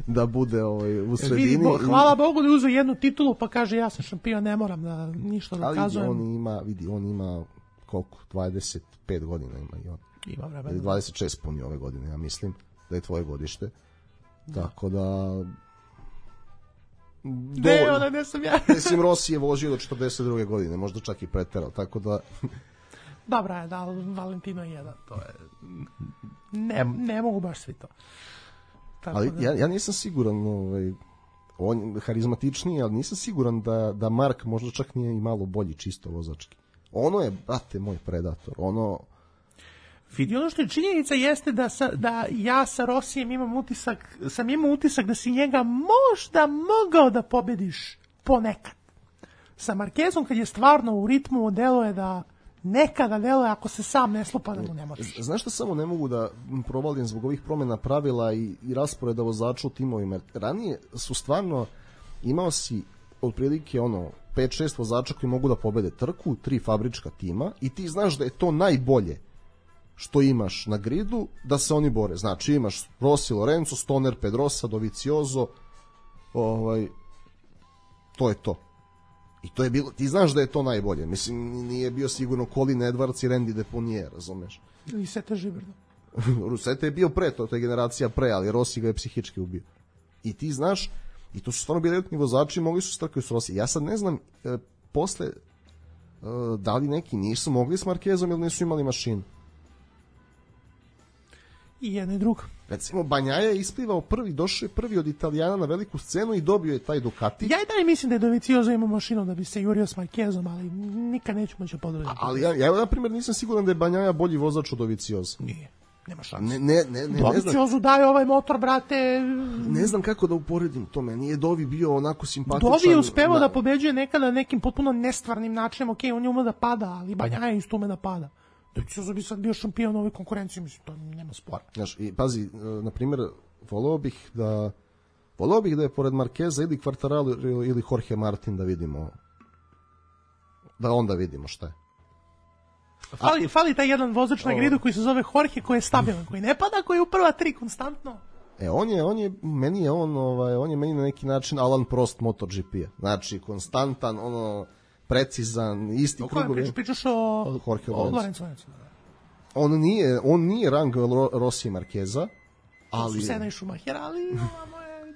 da bude ovaj, u sredini. Vidi, bo, hvala Bogu da je uzeo jednu titulu, pa kaže ja sam šampion, ne moram da ništa dokazujem. Ali on ima, vidi, on ima koliko, dvadeset pet godina ima i on. Ima vremena. dvadeset šest puni ove godine, ja mislim, da je tvoje godište. Da. Tako da... Ne, ona ne sam ja. Mislim, Rossi je vožio do četrdeset druge godine, možda čak i preterao, tako da... Dobra je, da, Valentino jedan, to je... Ne, ne mogu baš svi to. Tako ali da... ja, ja nisam siguran, ovaj, on je harizmatičniji, ali nisam siguran da, da Mark možda čak nije i malo bolji čisto vozački. Ono je, brate, moj predator, ono... Vidi, ono što je činjenica jeste da, sa, da ja sa Rosijem imam utisak, sam imao utisak da si njega možda mogao da pobediš ponekad. Sa Markezom kad je stvarno u ritmu deluje da nekada deluje ako se sam ne slupa da mu ne možeš. Znaš što samo ne mogu da provalim zbog ovih promjena pravila i, i rasporeda vozača u timovima? Ranije su stvarno imao si otprilike ono pet šest vozača koji mogu da pobede trku, tri fabrička tima i ti znaš da je to najbolje što imaš na gridu, da se oni bore. Znači imaš Rossi, Lorenzo, Stoner, Pedrosa, Dovizioso, ovaj, to je to. I to je bilo, ti znaš da je to najbolje. Mislim, nije bio sigurno Colin Edwards i Randy Deponier, razumeš? I Sete Žiberno. Sete je bio pre, to, to je generacija pre, ali Rossi ga je psihički ubio. I ti znaš, i to su stvarno bili elitni vozači, mogli su strkaju s Rossi. Ja sad ne znam, e, posle, e, da li neki nisu mogli s Markezom ili nisu imali mašinu. I jedno i drugo. Recimo, Banjaja je isplivao prvi, došao je prvi od Italijana na veliku scenu i dobio je taj Ducati. Ja i dalje mislim da je Dovizioso imao mašinu da bi se jurio s Markezom, ali nikad neću moći podvoditi. Ali ja, ja, na primjer, nisam siguran da je Banjaja bolji vozač od Dovizioso. Nije, nema šanse. Ne, ne, ne, ne, Dovizioso daje ovaj motor, brate. Ne znam kako da uporedim to, meni je Dovi bio onako simpatičan. Dovi je uspevao na... da pobeđuje nekada nekim potpuno nestvarnim načinom, ok, on je ume da pada, ali Banjaja isto ume da pada. Dovizioso bi sad bio šampion ove konkurencije, mislim, to nema spora. Znaš, i pazi, na primjer, voleo bih da voleo bih da je pored Markeza ili Quartararo ili Jorge Martin da vidimo da onda vidimo šta je. Fali, fali taj jedan vozač na gridu koji se zove Jorge, koji je stabilan, koji ne pada, koji je u prva tri konstantno. E, on je, on je, meni je on, ovaj, on je meni na neki način Alan Prost MotoGP-a. Znači, konstantan, ono, precizan, isti o krugovi. Pričaš, pričaš o, Jorge o Lorenzo. On nije, on nije rang Rossi i Marqueza, ali... Su Sena i Schumacher, ali ovamo je...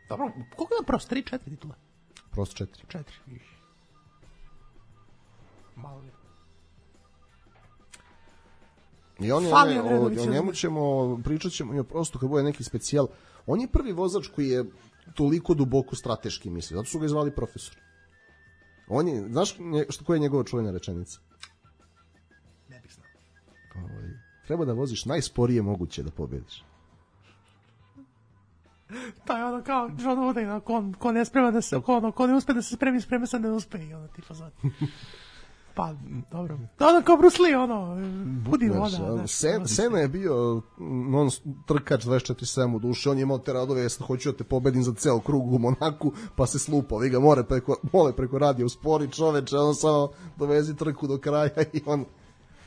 Dobro, koliko je Prost? tri, četiri titula? Prost četiri. četiri. Malo je. I on je, Fali, o, o njemu ćemo, pričat ćemo i o Prostu kad bude neki specijal. On je prvi vozač koji je toliko duboko strateški misli, zato su ga zvali profesor. On je, znaš što, koja je njegova čuvena rečenica? Ne bih znao. Ovaj, treba da voziš najsporije moguće da pobediš. To je ono kao John Wooden, ko, ko ne sprema da se, ko, ono, ko ne uspe da se spremi, sprema se da ne uspe i ono tipa zvat. Pa, dobro. Ono kao Bruce Lee, ono, budi voda. Znaš, Sen, Sena je bio non trkač dvadeset četiri sedam u duši, on je imao te radove, jesno hoću da te pobedim za ceo krug u Monaku, pa se slupa, vi ga more preko, mole preko radija uspori čoveče, on samo dovezi trku do kraja i on...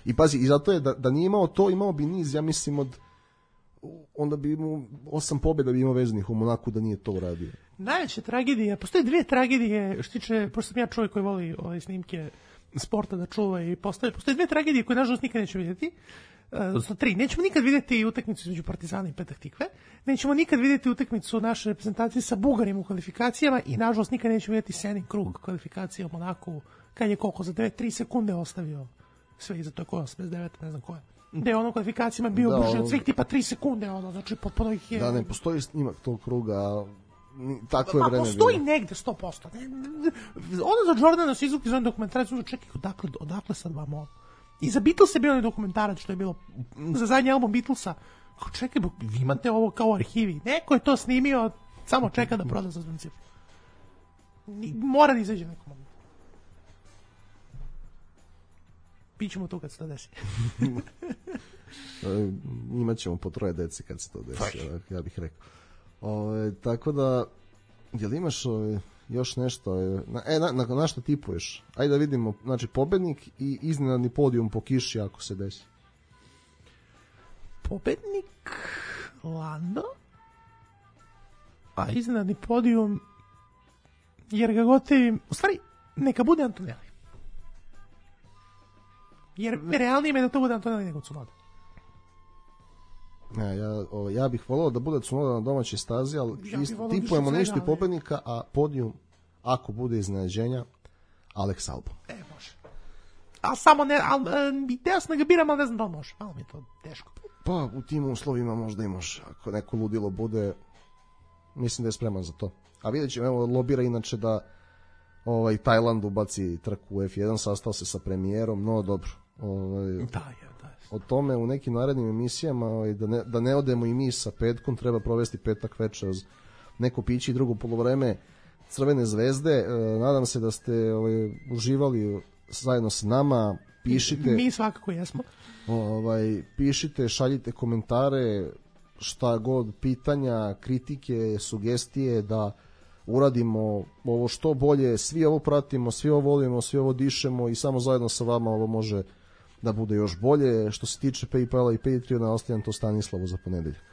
I pazi, i zato je, da, da nije imao to, imao bi niz, ja mislim, od... onda bi imao osam pobjeda bi imao vezanih u Monaku da nije to uradio. Najveća tragedija, postoje dvije tragedije, što tiče, pošto sam ja čovjek koji voli ove snimke sporta da čuva i postoje, postoje dve tragedije koje nažalost nikad nećemo vidjeti. Odnosno tri, nećemo nikad vidjeti utakmicu između Partizana i Petah Tikve, nećemo nikad vidjeti utakmicu naše reprezentacije sa Bugarima u kvalifikacijama i nažalost nikad nećemo vidjeti Senin krug kvalifikacije u Monaku, kad je koliko za dve tri sekunde ostavio sve iza, to je koja, osamdeset devet, ne znam koja. Da je ono kvalifikacijama bio da, brže od svih tipa tri sekunde, ono, znači potpuno ih je... Da, ne postoji snimak tog kruga, tako je pa, vreme postoji bilo. negde sto posto. Ono za Jordana su izvukli za onaj dokumentarac, ono čekaj, odakle, odakle sad vam ovo? I za Beatles je bio onaj dokumentarac što je bilo za zadnji album Beatlesa. Kao čekaj, vi imate ovo kao u arhivi. Neko je to snimio, samo čeka da proda za zvancif. Mora da izađe nekom. Pićemo to kad se to desi. Imaćemo po troje dece kad se to desi, ja bih rekao. Ove, tako da, jel imaš ove, još nešto? Na, e, na, na, na što tipuješ? Ajde da vidimo, znači, pobednik i iznenadni podijum po kiši ako se desi. Pobednik Lando, a iznenadni podijum, jer ga gotivim, u stvari, neka bude Antonelli. Jer realnije me da to bude Antonelli nego Tsunoda. Ja, ja, o, ja bih volao da bude Tsunoda na domaćoj stazi, ali ja ist, tipujemo na isti pobednika, a podijum, ako bude iznenađenja, Alex Albon. E, može. A samo ne, ali ideja sam da ga biram, ali ne znam da li može. Malo mi je to teško. Pa, u tim uslovima možda i može. Ako neko ludilo bude, mislim da je spreman za to. A vidjet ćemo, evo, lobira inače da ovaj, Tajland ubaci trku u F jedan, sastao se sa premijerom, no dobro. Ovaj, da, je, da je. O tome u nekim narednim emisijama, ovaj, da, ne, da ne odemo i mi sa petkom, treba provesti petak večer uz neko piće i drugo polovreme Crvene zvezde. E, nadam se da ste ovaj, uživali zajedno sa nama. Pišite. Mi svakako jesmo. Ovaj, pišite, šaljite komentare, šta god, pitanja, kritike, sugestije, da uradimo ovo što bolje. Svi ovo pratimo, svi ovo volimo, svi ovo dišemo i samo zajedno sa vama ovo može da bude još bolje. Što se tiče PayPala i Patreona, ostavljam to Stanislavu za ponedeljak.